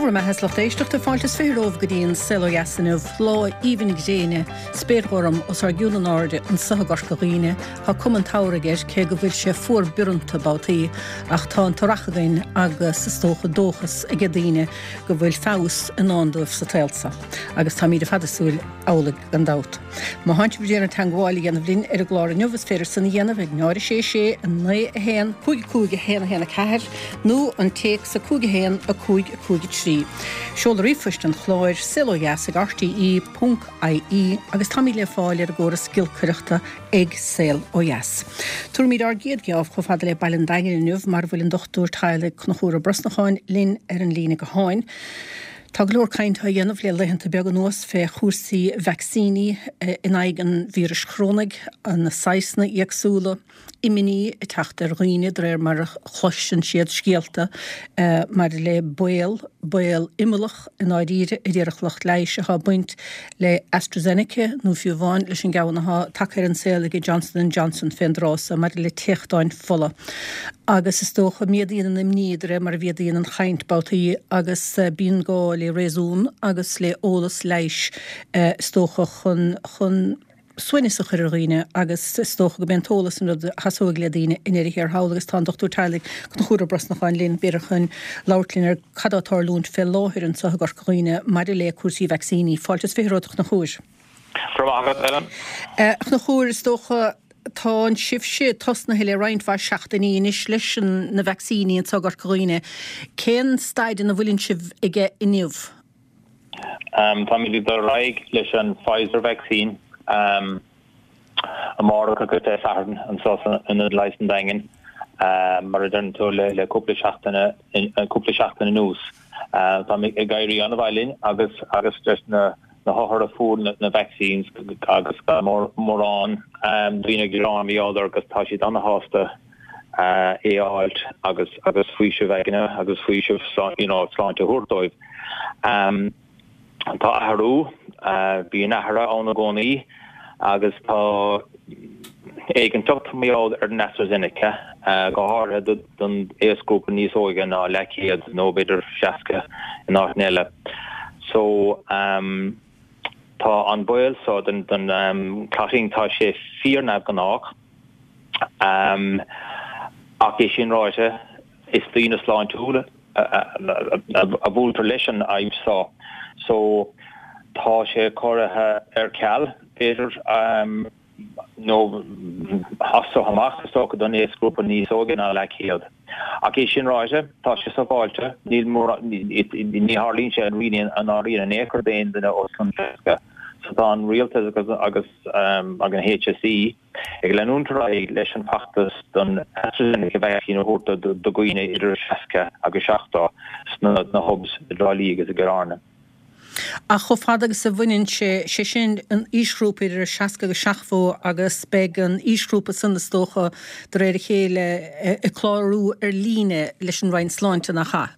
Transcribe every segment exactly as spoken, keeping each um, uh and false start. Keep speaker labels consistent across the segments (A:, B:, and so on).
A: bhur mbeatha is lucht éisteachta fáilte is fiche romhaibh go dtí an Saol Ó Dheas inniu, lá aoibhinn gréine, spéir ghorm os ár gcionn in airde anso i gCorca Dhuibhne. Tá cuma an tsamhraidh air, cé go bhfuil sé fuar bioranta babhtaí, ach tá an t-earrach againn agus is dócha dóchas age daoine go bhfuil feabhas i ndán dóibh sa tsaol seo. Agus táimid ar fad ag súil amhlaidh gan dabht. Má thánn sibh ag iarraidh teagmháil a dhéanamh linn ar an gclár inniu is féidir san a dhéanamh ag náid a sé sé naoi a haon cúig cúig a haon a haon a ceathair nó an téacs a cúig a haon a cúig a cúig a trí. Seoladh ríomhphoist an chláir saol ó dheas ag rte ponc ie agus táimid le fáil ar an gcóras giolcaireachta ag Saol Ó Dheas. Tabharfaimid ár gcéad gheábh chomh fada le Baile an Daingin inniu mar a bhfuil an Dochtúir Teaghlaigh Conchúr Ó Brosnacháin linn ar an líne gutháin. Tá go leor cainte á dhéanamh le laethanta beaga anuas fé chúrsaí vacsaíní in aghaidh an víris chorónaigh, na saghsanna éagsúla, imní ag teacht ar dhaoine de réir mar a chloiseann siad scéalta maidir le baol, baol imeallach i ndáiríre a déarfadh lucht leighis atá ag baint le AstraZeneca nó fiú amháin leis an gceann atá tagtha ar an saol ag Johnson and Johnson fén dtráth so maidir le téachtáin fola. Agus is dócha, méadaíonn an imní de réir mar a mhéadaíonn an chaint babhtaí agus bíonn gá le réasún agus le eolas leighis is dócha chun chun suaimhneas a chur ar dhaoine agus is dócha go b'é an t-eolas an rud a sheasóidh le daoine i ndeireadh thiar thall agus tá an Dochtúir Teaghlaigh Conchúr Ó Brosnacháin linn b'fhéidir chun labhairt linn ar cad atá ag tarlúint fé láthair anso i gCorca Dhuibhne maidir le cúrsaí vacsaíní. Fáilte is fiche romhat a Chonchúir.
B: Go raibh maith agat, Ellen.
A: A Chonchúir, is dócha tá an sibhse tosnaithe le roinnt mhaith seachtainí anois leis na vacsaíní anso i gCorca Dhuibhne. Cén staid ina bhfuileann sibh aige inniu?
B: Táimid ag dul ar aghaidh leis an Pfizer vaccine amárach agus Dé Sathairn anseo san Ionad Leighis an Daingin, mar a deireann tú le cúpla seachtain cúpla seachtain anuas. Tá ag éirí an-mhaith linn agus agus leis na na hothair a fuair na vaccines agus gan mórán daoine ag gearán mar gheall air agus tá siad an-shásta é a fháilt agus agus faoiseamh aigne agus faoiseamh you know sláinte a thabhairt dóibh. Tá athrú, bíonn athruithe ann i gcónaí agus tá éiginnteacht mar gheall ar an AstraZeneca, go háirithe don aosghrúpa níos óige ná leathchéad nó b'fhéidir seasca in áiteanna eile. So tá an baol so den den clotting tá sé fíor-neamhghnách. Ach é sin ráite, is daoine sláintiúla a bhuailtear leis an fhadhb seo so tá sé curtha ar ceal, b'fhéidir, nó as so amach, is dócha, don aosghrúpa níos óige ná leathchéad. Ach é sin ráite, tá sé sábháilte, níl mórán, ní tharlaíonn sé really i ndáiríre in aon chor d'aon duine os cionn seasca. So tá an rialtas agus agus an HSE ag leanúint ar aghaidh leis an bhfeachtas don AstraZeneca vaccine a thabhairt do dhaoine idir seasca agus seachtó sna hubs i dTrá Lí agus i gCill Airne.
A: Ach chomh fada agus a bhaineann sé, sé sin an aoisghrúpa idir seasca agus seachtó agus beidh an aoisghrúpa san is dócha de réir a chéile ag clárú ar líne leis an Roinn Sláinte, nach ea?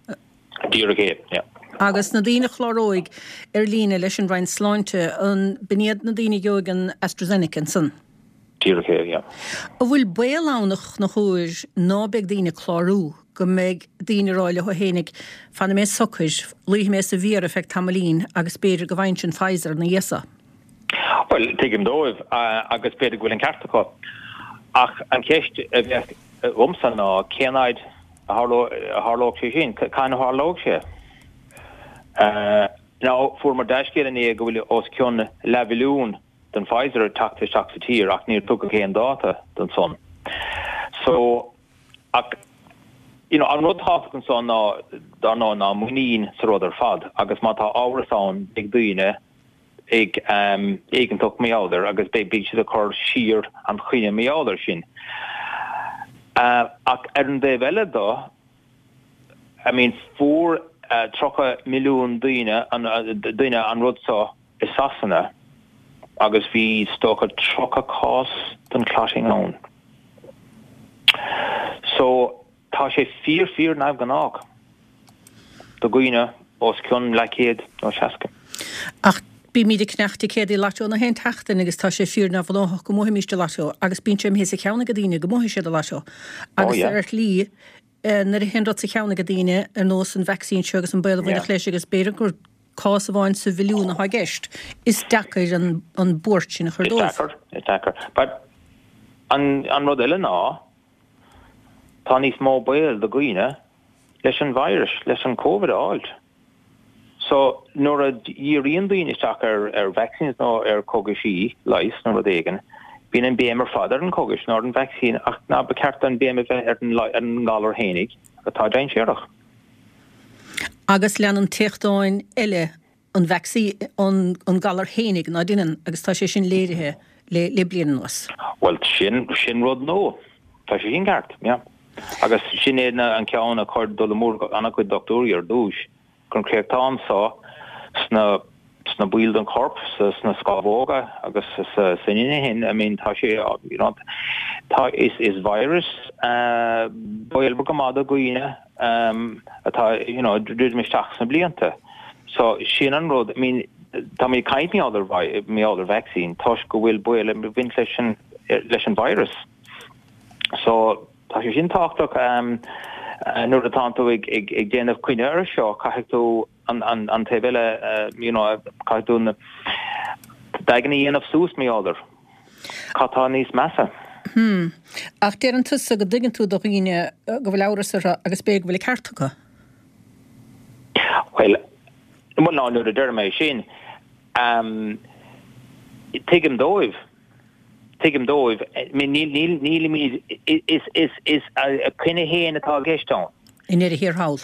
B: Díreach é, yeah.
A: Agus na daoine a chláróidh ar líne leis an Roinn Sláinte, an b'in iad na daoine a gheobhaidh an AstraZeneca ansan?
B: Díreach é, yeah.
A: An bhfuil baol ann a Chonchúir ná beidh daoine ag clárú, go mbeidh daoine ag rá leo fhéinig, fanfaidh mé socair, luífidh mé sa bhfiar ar feadh tamaillín agus b'fhéidir go bhfaighinnse an Pfizer ina dhiaidh so?
B: Bhuel, tuigim dóibh agus b'fhéidir go bhfuil an ceart acu. Ach an cheist a bheadh agamsa ná cén fhaid a tharlódh sé sin? Cathain a tharlódh sé? Now, fuaireamar dea-scéal inné go bhfuil os cionn leathmhilliún den Pfizer ag teacht isteach sa tír ach níor tugadh aon dáta don san. So, ach, you know, an rud tábhachtach ansan ná, dar ndóigh, ná muinín sa rud ar fad agus má tá amhras ann beidh daoine ag éiginnteacht mar gheall air agus beidh siad ag cur siar an choinne mar gheall air sin. Ach ar an dtaobh eile de, I mean, fuair tríocha milliún daoine duine an rud seo i Sasana agus bhí is dócha tríocha cás den clotting ann. So, Tá sé fíor fíor neamhghnách do dhaoine os cionn leathchéad nó seasca.
A: Ach bímid ag ceannach ticéadaí lotto na haon tseachtain agus tá sé fíor neamhghnách go mbuafaimíst an lotto agus bíonn sé imithe as a cheann ag daoine go mbuafaidh siad an lotto agus ar shlí Nuair a théann rud sa cheann ag daoine ar nós an vacsaín seo agus an baol a bhainfeadh leis agus b'fhéidir gur cás amháin sa mhilliún atá i gceist, is deacair an an buairt sin a chur
B: dóibh. Is deacair, is deacair. But an an rud eile ná tá níos mó baol do dhaoine leis an virus, leis an Covid a fháilt. So nuair a dhíríonn daoine isteach ar ar vaccines nó ar cogaisí leighis nó rud éigin, bíonn an béim ar fad ar an cogas nó ar an vaccine ach ná ba cheart an béim a bheith ar an ar an ngalar fhéinig atá dainséarach.
A: Agus leanann téachtáin eile an vacsaín an an galar fhéinig ná deineann agus tá sé sin léirithe le le bliain anuas.
B: Bhuel sin sin rud nua. Tá sé sin ceart, yeah. Agus sin é an ceann a chuir dul amú an-chuid dochtúirí ar dtús gur an créachtán seo sna sna baill den chorp sa sna scamhóga agus sa san inchinn I mean tá sé you know tá is is virus uh, baolmhar go maith do dhaoine um, atá you know druidim isteach sna blianta. So sin an rud I mean tá mé caint mar gheall ar vaccine toisc go bhfuil baol ag baint leis an leis an virus. So tá sé sin tábhachtach um, nuair atá tú ag ag ag déanamh coinne ar seo caithfidh tú an an an taobh eile uh, you know caithfidh tú na d'aigne a dhéanamh suas mar cad tá níos measa.
A: Hmm. Ach deireann tusa go dtuigeann tú do dhaoine go bhfuil amhras orthu agus b'fhéidir go bhfuil ceart acu.
B: Well, well ná nuair a deir mé sin um, tuigim dóibh tuigim dóibh níl níl nílimid is is is a cinne féin atá i gceist ann.
A: I ndeireadh thiar thall.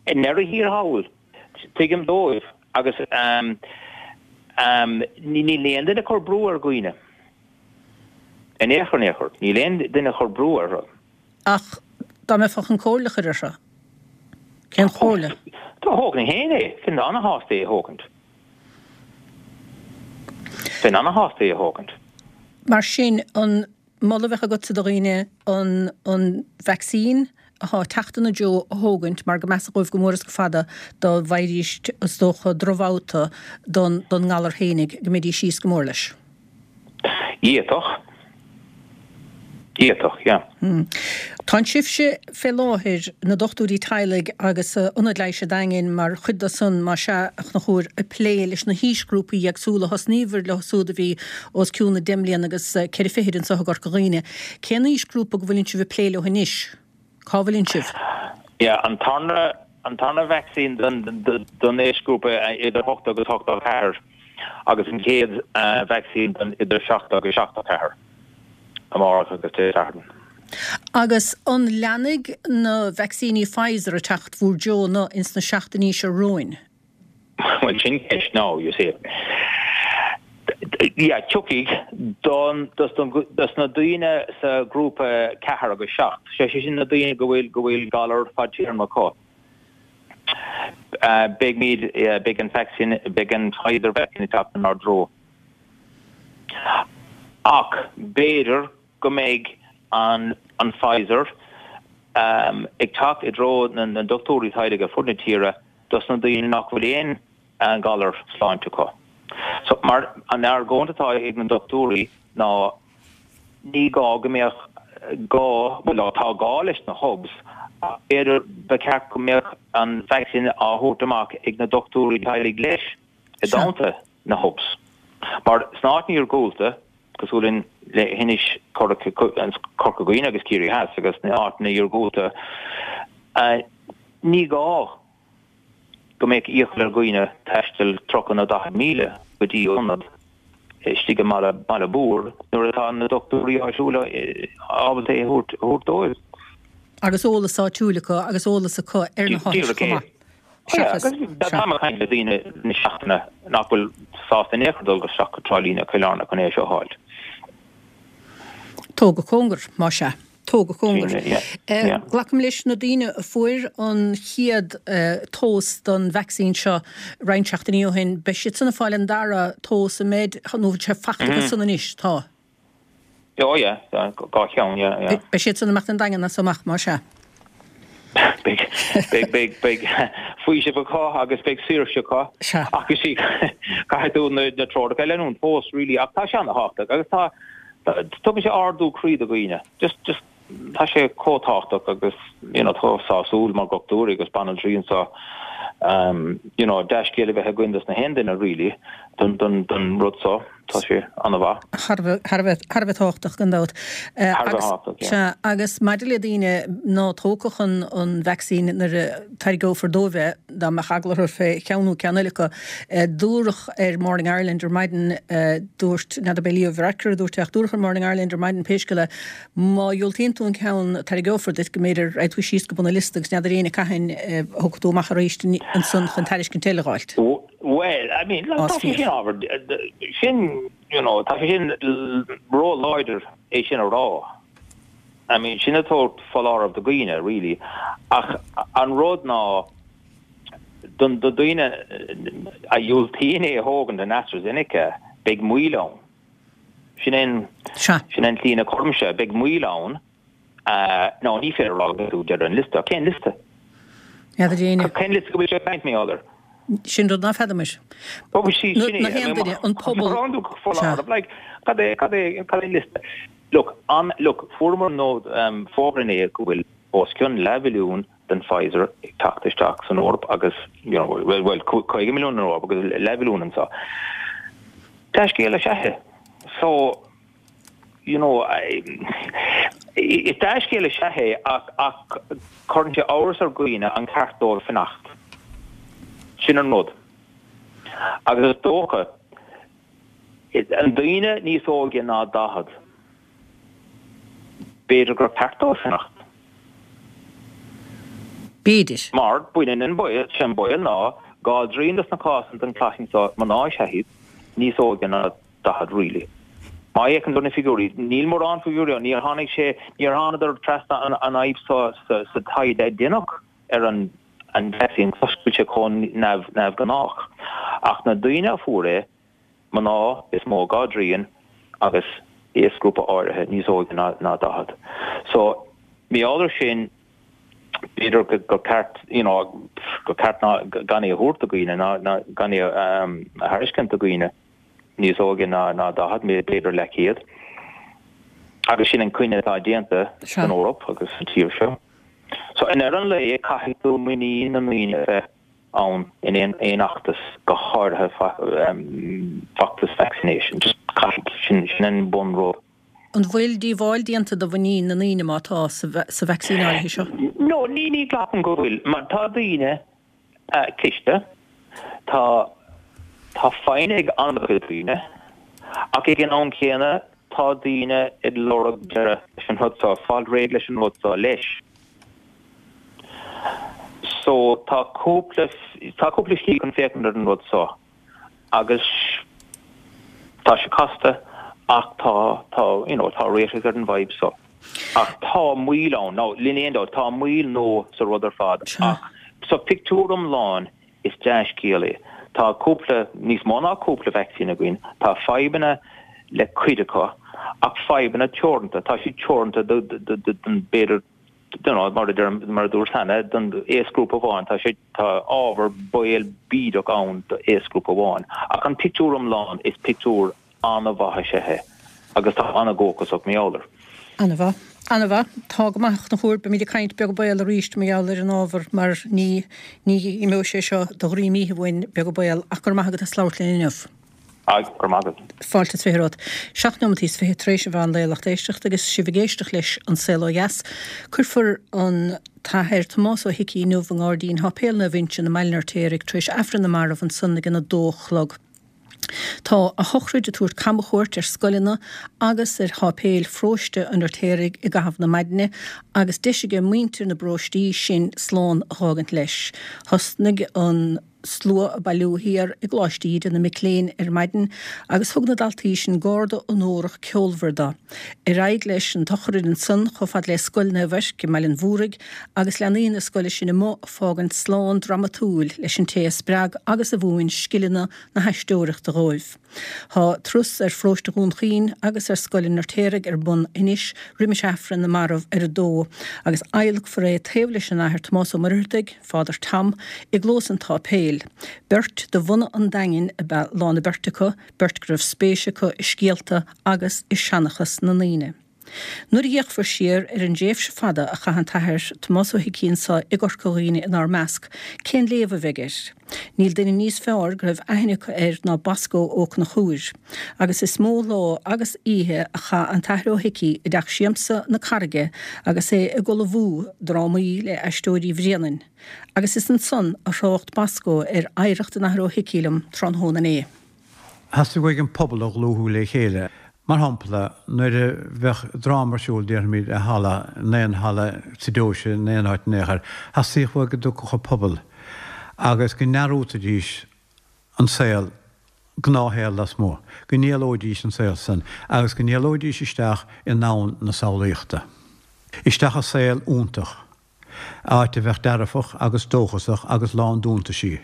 B: I ndeireadh thiar thall tuigim dóibh agus um, um, níl aon duine ag cur brú ar dhaoine. In aon chor in aon chor, níl aon duine ag cur brú orthu.
A: Ach dá mbeifeá chun comhairle a chur orthu. Cén chomhairle?
B: Tá thógfainn féin é, bheinn an-shásta é a thógaint. Bheinn an-shásta é a thógaint.
A: Mar sin an moladh a bheadh agatsa do dhaoine an an vacsaín atá ag teacht ina dtreo a thógaint mar go measa dhóibh go mór is go fada dá bhfaighidís is dócha drochbhabhta don don ngalar fhéinig go mbeidís síos go mór leis.
B: D'fhéadfadh. D'fhéadfadh, yeah.
A: Hmm. Tá sibhse fé láthair na dochtúirí teaghlaigh agus Ionad Leighis an Daingin mar chuid de san más ea a Chonchúir ag plé leis na haoisghrúpaí éagsúla thosnaíobhair leo súd a bhí os cionn na deich mbliana agus ceithre fichid anseo i gCorca Dhuibhne. Cén aoisghrúpa go bhfuileann sibh ag plé leo anois? Cá bhfuileann sibh?
B: Yeah, an tarna an tarna vaccine don don aoisghrúpa idir hocht agus ochtó ceathair agus an chéad uh, vaccine don idir seacht agus seachtó ceathair. Amárach agus Dé Sathairn.
A: Agus an leanfaidh na vacsaíní Pfizer ag teacht bhur dtreo nó ins na seachtainí seo romhainn?
B: Well sin ceist now, you see. Yeah, tiocfaidh don dos don dos na daoine sa grúpa ceathair agus seacht. Sé sé sin na daoine go bhfuil go bhfuil galar fadtéarma acu. Uh, beidh uh, beidh an vaccine beidh an Pfizer vaccine ag teacht inár dtreo. Ach b'fhéidir go mbeidh an an Pfizer um, ag teacht i dtreo na, na dochtúirí teaghlaigh ar fud na tíre dos na daoine nach bhfuil aon an galar sláinte acu. So mar an argóint atá ag na dochtúirí ná ní gá go mbeadh gá well tá gá leis na hubs b'fhéidir ba cheart go mbeadh an vaccine á thabhairt amach ag na dochtúirí teaghlaigh leis i dteannta na hubs. Mar sna háiteanna iargúlta cosúil le hInis Corca Dhuibhne agus Ciarraí Theas agus na háiteanna iargúlta ní gá go mbeadh iachall ar dhaoine taisteal tríocha nó daichead míle go dtí ionad istigh i mbaile baile mór nuair atá na dochtúirí áitiúla ábalta é a thabhairt dóibh.
A: Agus eolas áitiúil acu agus eolas acu ar na háit chomh maith.
B: Tá mé ag caint le daoine na seachtaine nach bhfuil sásta in aon chor dul isteach go Trá Lí nó Cill Airne chun é seo a fháil.
A: Tóg go cóngar, más ea. Tóg go cóngar. Glacaim leis na daoine a fuair an chéad dós don vacsaín seo roinnt seachtainí ó shin, beidh siad san ag fáil an dara dós an mbeidh nó bhfuil sé faighte acu san anois, tá.
B: Oh yeah, dhá cheann, yeah, yeah.
A: Beidh siad san ag imeacht an Daingean as amach, más ea.
B: Beidh, beidh, beidh, beidh faoiseamh acu agus beidh saoirse acu. Ach you see, caithfidh tú na, na treoracha a leanúint fós, really, ach tá sé an-tábhachtach agus tá, tugann sé ardú croí do dhaoine. Just, just tá sé chomh tábhachtach agus you know tá sásúil mar dhochtúir agus banaltraí anseo um you know dea-scéal a bheith againn dos na haon duine really don don don rud so tá sé an-mhaith.
A: Thar a bheith thar a bheith tábhachtach gan dabht.
B: Thar a bheith tábhachtach, yeah.
A: Sea, agus maidir le daoine ná tógfadh an an vacsaín nuair a tairgeofar dóibh é, dá mbeadh eagla orthu fé cheann nó ceann eile acu, dúradh ar Morning Ireland ar maidin, dúirt, n'fheadar ab é Leo Varadkar a dúirt é ach dúradh ar Morning Ireland ar maidin pé scéal é, má dhiúltaíonn tú an ceann a tairgeofar duit go mb'fhéidir raghaidh tú síos go bun an liosta agus n'fheadar éinne cathain a thiocfaidh tú amach arís ansan chun tairiscint eile a dh'fháilt.
B: Bhuel, I mean, like, tá sé sin ábhar, sin, you know, tá sé sin ró-láidir é sin a rá. I mean, sin ag tabhairt foláireamh do dhaoine, really. Ach an rud ná, don do dhaoine a dhiúltaíonn é a thógaint an AstraZeneca, beidh moill ann. Sin é sin an tslí ina gcuirimse, beidh moill ann. Nó ní féidir a rá go mbeidh tú ag deireadh an liosta. Cén liosta?
A: N'fheadar éinne.
B: Cén liosta go bhfuil sé ag caint, m'fheadar?
A: Sin rud ná feadair muid.
B: Ó, sí, sin é.
A: Na haon duine, an pobal.
B: Rá tú foláireamh, like, cad é, cad é, cad é an liosta? Look, an, look, fuaireamar nó fógra inné go bhfuil os cionn leathmhilliún den Pfizer ag teacht isteach san Eoraip agus, you know, well, well, caoga milliún san Eoraip agus leathmhilliún anseo. Dea-scéal is ea é. So, you know, is dea-scéal is ea é ach, ach cuireann sé amhras ar dhaoine an ceart dóibh fanacht. Sin an rud. Agus is dócha, an daoine níos óige ná daichead, b'fhéidir gur ceart dóibh fanacht.
A: B'fhéidir.
B: Mar baineann an baol, sé an baol ná dhá dtrian dos na cásanna den chlaisín seo mná is ea iad, níos óige ná daichead really. Má fhéachann tú ar na figiúirí, níl mórán figiúirí ann, níor tháinig sé, níor thánadar trasna an an fhadhb seo sa sa taighde a deineadh ar an an vacsaín toisc go bhfuil sé chomh neamh neamhghnách. Ach na daoine a fuair é, mná is mó, dhá dtrian, agus aosghrúpa áirithe níos óige ná ná daichead. So, mar gheall air sin, b'fhéidir go gur ceart, you know, gur ceart ná gan é a thabhairt do dhaoine, ná ná gan é a a thairiscint do dhaoine níos óige ná ná daichead, b'fhéidir leathchéad. Agus sin an cinneadh atá déanta san Eoraip agus sa tír seo. So i ndeireadh an lae caithfidh tú muinín na ndaoine a bheith ann in aon aon fheachtas, go háirithe feachtas vaccination. Just caithfidh, sin sin an bunrud.
A: An bhfuil díobháil déanta do mhuinín na ndaoine má tá sa sa vacsaín áirithe seo?
B: No, ní ní ghlacaim go bhfuil, mar tá daoine cliste, tá tá foighne ag an-chuid daoine, ach ag an am céanna tá daoine ag lorg deireadh leis an rud seo, fáil réidh leis an rud seo leis. So tá cúpla tá cúpla slí chun féachaint ar an rud seo agus tá sé casta ach tá tá you know tá réiteach ar an bhfadhb seo. Ach tá moill ann, now níl aon dabht, tá moill nó sa rud ar fad ach sa phictiúr iomlán is dea-scéal é. Tá cúpla, níos mó ná cúpla vacsaín againn, tá fadhbanna le cuid acu ach fadhbanna teoranta, tá siad teoranta do do do don b'fhéidir don't know, mar a deir, mar a dúirt cheana, don aosghrúpa amháin, tá sé, tá ábhar baol bídeach ann do aosghrúpa amháin. Ach an pictiúr iomlán, is pictiúr an-mhaith is ea é agus tá an-dhóchasach mar gheall air.
A: An-mhaith. An-mhaith. Tá go maith a Chonchúir. Beimid ag caint beag béal arís mar gheall ar an ábhar mar ní, ní imeoidh sé seo de dhroim oíche uainn beag béal ach go raibh maith agat as labhairt linn inniu.
B: Aye, go raibh maith agat.
A: Fáilte is fiche romhat. Seacht nóimeataí is fiche tar éis an mheán lae a lucht éisteachta agus sibh ag éisteacht leis An Saol Ó Dheas. Cuirfear an tAthair Tomás Ó hIcí inniu i nGairdín Sháipéal Naomh Uinseann i mBaile an Fheirtéaraigh tar éis Aifreann na Marbh ansan ag an a dó a chlog. Tá a shochraid ag tabhairt camchuairt ar scoileanna agus ar sháipéil pharóiste an Fheirtéaraigh i gcaitheamh na maidine agus deis aige muintir na bparóistí sin slán a dh'fhágaint leis. Thosnaigh an. slua ag bailiú thiar i gColáiste Íde na mic léinn ar maidin agus thug na daltaí sin garda onórach ceolmhar dó. Ar aghaidh leis an tsochraid ansan chomh fada le Scoil Naomh Eirc i mBaile an Mhúraigh agus leanaí na scoile sin amuigh ag fágaint slán dramatúil leis an té a spreag agus a mhúin scileanna na haisteoireachta dhóibh. Tá turas ar pharóiste Dhún Chaoin agus ar Scoil an Fheirtéaraigh ar bun anois roimis Aifreann na Marbh ar a dó agus adhlacfar é taobh leis an Athair Tomás Ó Muircheartaigh, Father Tom, i gclós an tsáipéil. Beirt de bhunadh an Daingin ab ea lán na beirte acu, beirt go raibh spéis acu i scéalta agus i seanchas na ndaoine. Nuair a fhéachfar siar ar an dtréimhse fada a chaith an tAthair Tomás Ó hIcí anseo i gCorca Dhuibhne inár measc, cén léamh a bheidh air? Níl duine níos fearr go raibh aithne acu air ná Bosco Ó Conchúir. Agus is mó lá agus oíche a chaith an tAthair Ó hIcí i dTeach Siamsa na Carraige agus é ag ullmhú drámaí le Aisteoirí Bhréanainn. Agus is ansan a thrácht Bosco ar oidhreacht an Athar Ó hIcí liom tráthnóna inné.
C: Theastaigh uaidh an pobal a dhlúthú le chéile. Mar shampla, nuair a bheadh dráma ar siúl, déarfaimid, i halla, in aon halla sa deoise, in aon áit in aon chor, theastaigh uaidh go dtiocfadh an pobal agus go ndearúdfaidís an saol, gnáthshaol lasmuigh, go n-éalóidís an saol san agus go n-éalóidís isteach i ndomhan na samhlaíochta. Isteach i saol iontach, áit a bheadh dearfach agus dóchasach agus lán d'iontaisí,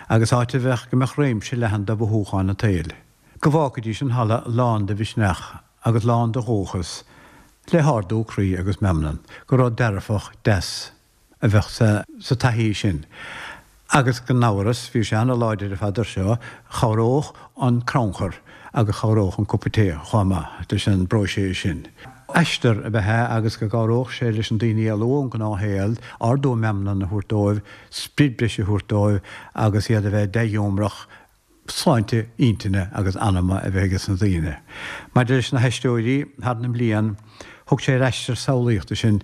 C: agus áit a bheadh, go mbeadh réimse leathan de mhothúcháin an tsaoil. Go bhfágfaidís an halla lán de mhisneach agus lán de dhóchas, le hardú croí agus meanman, gur rud dearfach, deas a bheadh sa taithí sin. Agus gan amhras, bhí sé ana-láidir ar fad air seo, chabhródh an crannchur agus chabhródh an cupa tae chomh maith leis an bpróiseas sin. Aistear ab ea é agus go gcabhródh sé leis na daoine éalú ón ngnáthshaol, ardú meanman a thabhairt dóibh, sprid breise a thabhairt dóibh agus iad a bheith dea-ghiúmrach, sláinte intinne agus anama a bheith aige sna daoine. Maidir leis na haisteoirí, thar na mblian, thug sé ar aistear samhlaíochta sinn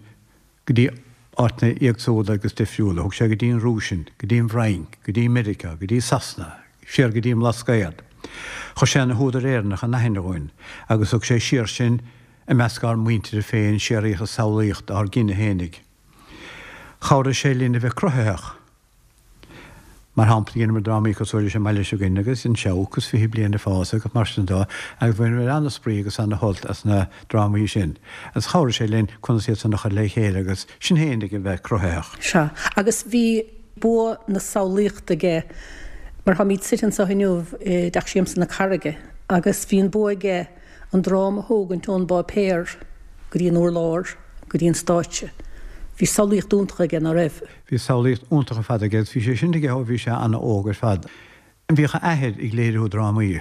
C: go dtí áiteanna éagsúla agus difriúla. Thug sé go dtí an Rúis sinn, go dtí an bhFrainc, go dtí Meiriceá, go dtí Sasana, siar go dtí an mBlascaod. Chuir sé na húdair Éireannacha in aithne dhúinn agus thug sé siar sinn i measc ár muintire féin, siar oíche samhlaíochta ár gcine fhéinig. Chabhraigh sé linn a bheith cruthaitheach. Mar shampla, dheineamar drámaí cosúil leis An Mbaile Seo Againne agus An Seabhac agus Fiche Bliain ag Fás agus mar sin de agus bhaineamar ana-spraoi agus ana-shult as na drámaí sin agus chabhraigh sé linn conas iad san a chur le chéile agus sinn fhéinig a bheith cruthaitheach.
A: Sea, agus bhí bua na samhlaíochta aige mar táimid suite anseo inniu i dTeach Siamsa na Carraige agus bhí an bua aige an dráma a thógaint ón bpáipéar go dtí an urlár, go dtí an stáitse. Bhí samhlaíocht iontach aige, ná raibh?
C: Bhí samhlaíocht iontach ar fad aige agus bhí sé sin aige ó bhí sé an-óg ar fad. Bhíodh a athair ag léiriú drámaí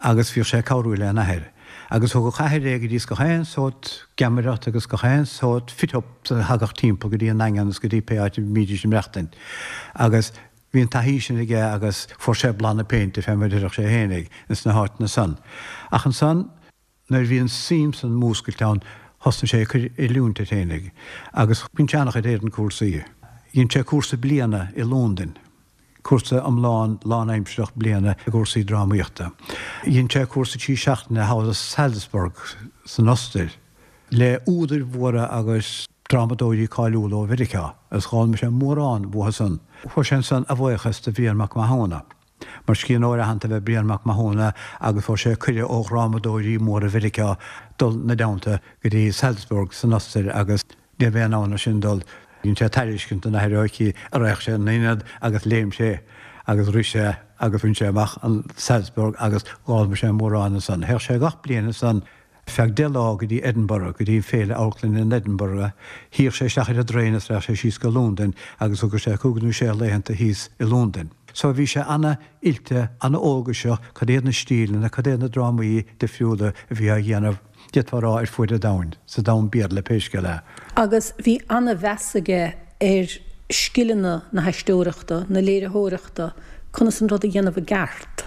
C: agus bhíodh sé ag cabhrú lena athair. Agus thugadh a athair é go dtí gach aon sórt geamaireacht agus gach aon sórt fit-up a thagadh timpeall go dtí an nDaingean agus go dtí pé áit a mbídís ag maireachtaint. Agus bhí an taithí sin aige agus fuair sé blas na péinte fé mar a déarfadh sé fhéinig ins na háiteanna san. Ach ansan Nuair a bhí an suim san múscailte ann thosnaigh sé ag cur oiliúint air fhéinig agus dhein sé an-chuid éadan cúrsaí. Dhein sé cúrsa bliana i Lúndain, cúrsa iomlán lánaimsireach bliana i gcúrsaí drámaíochta. Dhein sé cúrsa trí seachtaine thall i Salzburg san Ostair le údair mhóra agus drámadóirí cáiliúla ó Mheiriceá agus d'fhoghlaim sé mórán uathu san. Fuair sé ansan a bhuíochas do Bhrian Mac Mathúna. Mar scríbhneoir aitheanta ab ea Brian Mac Mathúna agus fuair sé cuireadh ó dhrámadóirí móra Mheiriceá dul 'na dteannta go dtí Salzburg san Ostair agus ní raibh aon fhonn air sin dul. Dhein sé tairiscint don Athair Ó hIcí an raghadh sé ina ionad agus léim sé agus rith sé agus bhain sé amach an Salzburg agus d'fhoghlaim sé mórán ansan. Théadh sé gach bliain ansan. Feadh deich lá go dtí Edinburgh, go dtí an Féile Amharclainne in Edinburgh. Shuíodh sé isteach ar an dtraein is raghadh sé síos go Lúndain agus thugadh sé cúig nó sé laethanta thíos i Lúndain. So bhí sé ana-oilte, ana-eolgaiseach cad iad na stíleanna, cad iad na drámaí difriúla a bhí á dhéanamh, d'fhéadfá a rá, ar fuaid an domhain, sa domhan Béarla pé scéal é.
A: Agus bhí ana-mheas aige ar scileanna na haisteoireachta, na léiritheoireachta, conas an rud a dhéanamh i gceart,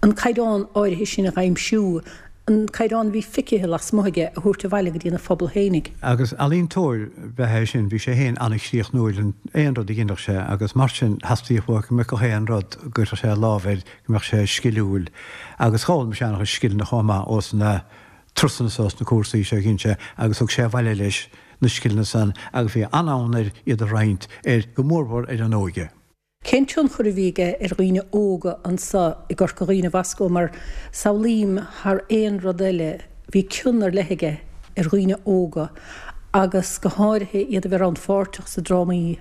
A: an caighdeán áirithe sin a aimsiú, an caighdeán a bhí feicthe lasmuigh aige a thabhairt abhaile go dtí an phobal fhéinig.
C: Agus ealaíontóir ab ea é sin, bhí sé féin an-chríochnúil in aon rud a dheineadh sé agus mar sin theastaíodh uaidh go mbeadh gach aon rud a gcuirfeadh sé a lámh air, go mbeadh sé sciliúil. Agus d'fhoghlaim sé an-chuid scileanna chomh maith ós na turasanna so, ós na cúrsaí seo a dhein sé agus thug sé abhaile leis na scileanna san agus bhí an-fhonn air iad a roinnt ar, go mórmhór ar an óige.
A: Cén tionchar a bhí aige ar dhaoine óga anso i gCorca Dhuibhne, a Bhosco, mar samhlaím thar aon rud eile bhí cion ar leith aige ar dhaoine óga agus go háirithe iad a bheith rannpháirteach sa drámaí.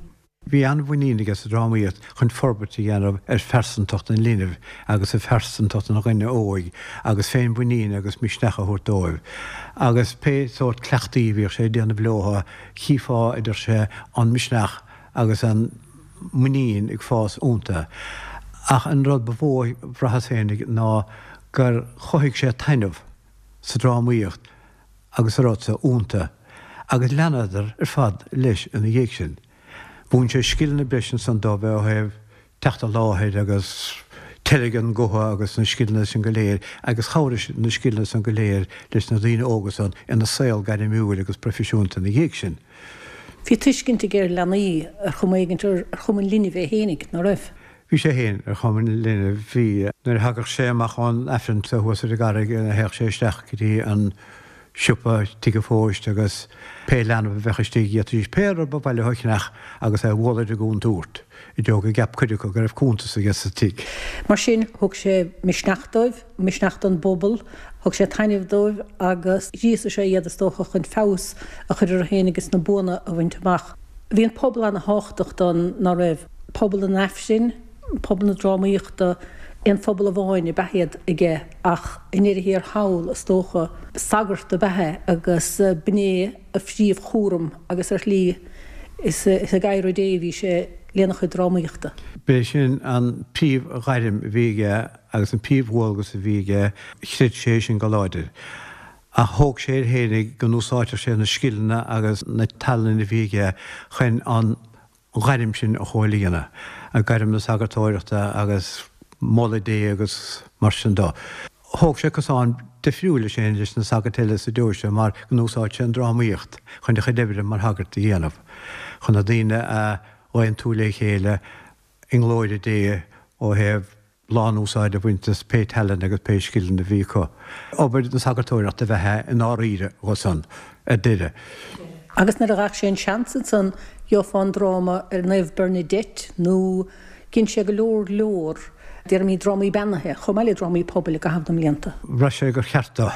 C: Bhí an-mhuinín aige sa drámaíocht chun forbairt a dhéanamh ar phearsantacht an linbh agus ar phearsantacht an dhuine óig agus féinmhuinín agus misneach a thabhairt dóibh. Agus pé sórt cleachtaí a bhíodh sé ag déanamh leotha, chífeá, a deir sé, an misneach agus an. muinín ag fás iontu. Ach an rud ba mhó a bhraitheas féinig ná gur chothaigh sé taitneamh sa drámaíocht agus a rud sa iontu agus leanadar ar fad leis ina dhiaidh sin. Mhúin sé scileanna breise ansan dóibh ó thaobh teacht i láthair agus teilgean an ghutha agus na scileanna sin go léir agus chabhraigh na scileanna san go léir leis na daoine óga san ina saol gairmiúil agus proifisiúnta ina dhiaidh sin.
A: Bhí tuiscint aige ar leanaí ar chuma éigin ar chuma an linbh é fhéinig, ná raibh?
C: Bhí sé fhéin ar chuma an linbh. Bhí. Nuair a thagadh sé amach ón Aifreann thuas ar an gCarraig théadh sé isteach go dtí an siopa Tigh an Phóist agus pé leanbh a bheadh istigh d'fhéadfaidís pé rud ba mhaith leo a cheannach agus é a bhualadh ar an gcúntúirt i dtreo go gceap cuid acu go raibh cuntas aige sa tigh.
A: Mar sin, thug sé misneach dóibh, misneach don bpobal, thug sé taitneamh dóibh agus ghríosaigh sé iad, is dócha, chun feabhas a chur orthu féin agus na buanna a bhaint amach. Bhí an pobal ana-thábhachtach dó, ná raibh? Pobal an Aifrinn, pobal na drámaíochta, aon phobal amháin ab ea iad aige ach i ndeireadh thiar thall, is dócha, sagart ab ea é agus b'in é a phríomhchúram agus ar shlí is ag adhradh Dé a bhí sé lena chuid drámaíochta.
C: B'é sin an príomhghairm a bhí aige agus an príomhdhualgas a bhí aige, chreid sé sin go láidir. Ach thóg sé air fhéinig go n-úsáidfeadh sé na scileanna agus na tallainne a bhí aige chun an ghairm sin a chomhlíonadh, gairm na sagartóireachta agus moladh Dé agus mar sin de. Thóg sé cosán difriúil leis féin leis na sagairt eile sa deoise mar go n-úsáid sé an drámaíocht chun a chuid oibre mar shagart a dhéanamh, chun na daoine a aontú le chéile i nglóire Dé ó thaobh lán-úsáid a bhaint as pé tallann agus pé scileanna a bhí acu. Obair na sagartóireachta ab ea é i ndáiríre dhó san, ar deireadh.
A: Agus nuair a ghlac sé an seans ansan, gheofá an dráma ar Naomh Bernadette nó dhein sé go leor leor, déarfaimid, drámaí beannaithe, chomh maith le drámaí pobail i gcaitheamh na mblianta.
C: Bhraith sé gur cheart dó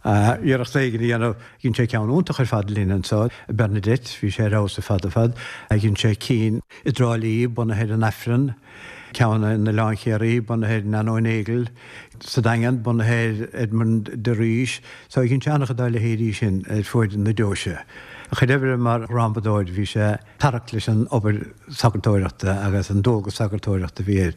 C: iarracht éigin a dhéanamh. Dhein sé ceann iontach ar fad linn anso, Bernadette, bhí sé ar fheabhas ar fad ar fad. Dhein sé cinn i dTrá Lí, bunaithe ar an Aifreann, ceann in Oileán Chiarraí, bunaithe ar Nano Nagle, sa Daingean, bunaithe ar Edmond de Rís. So dhein sé an-chuid dá leithéidí sin ar fuaid na deoise. A chuid oibre mar dhrámadóir, bhí sé tarrac leis an obair sagartóireachta agus an dualgas sagartóireachta a bhí air.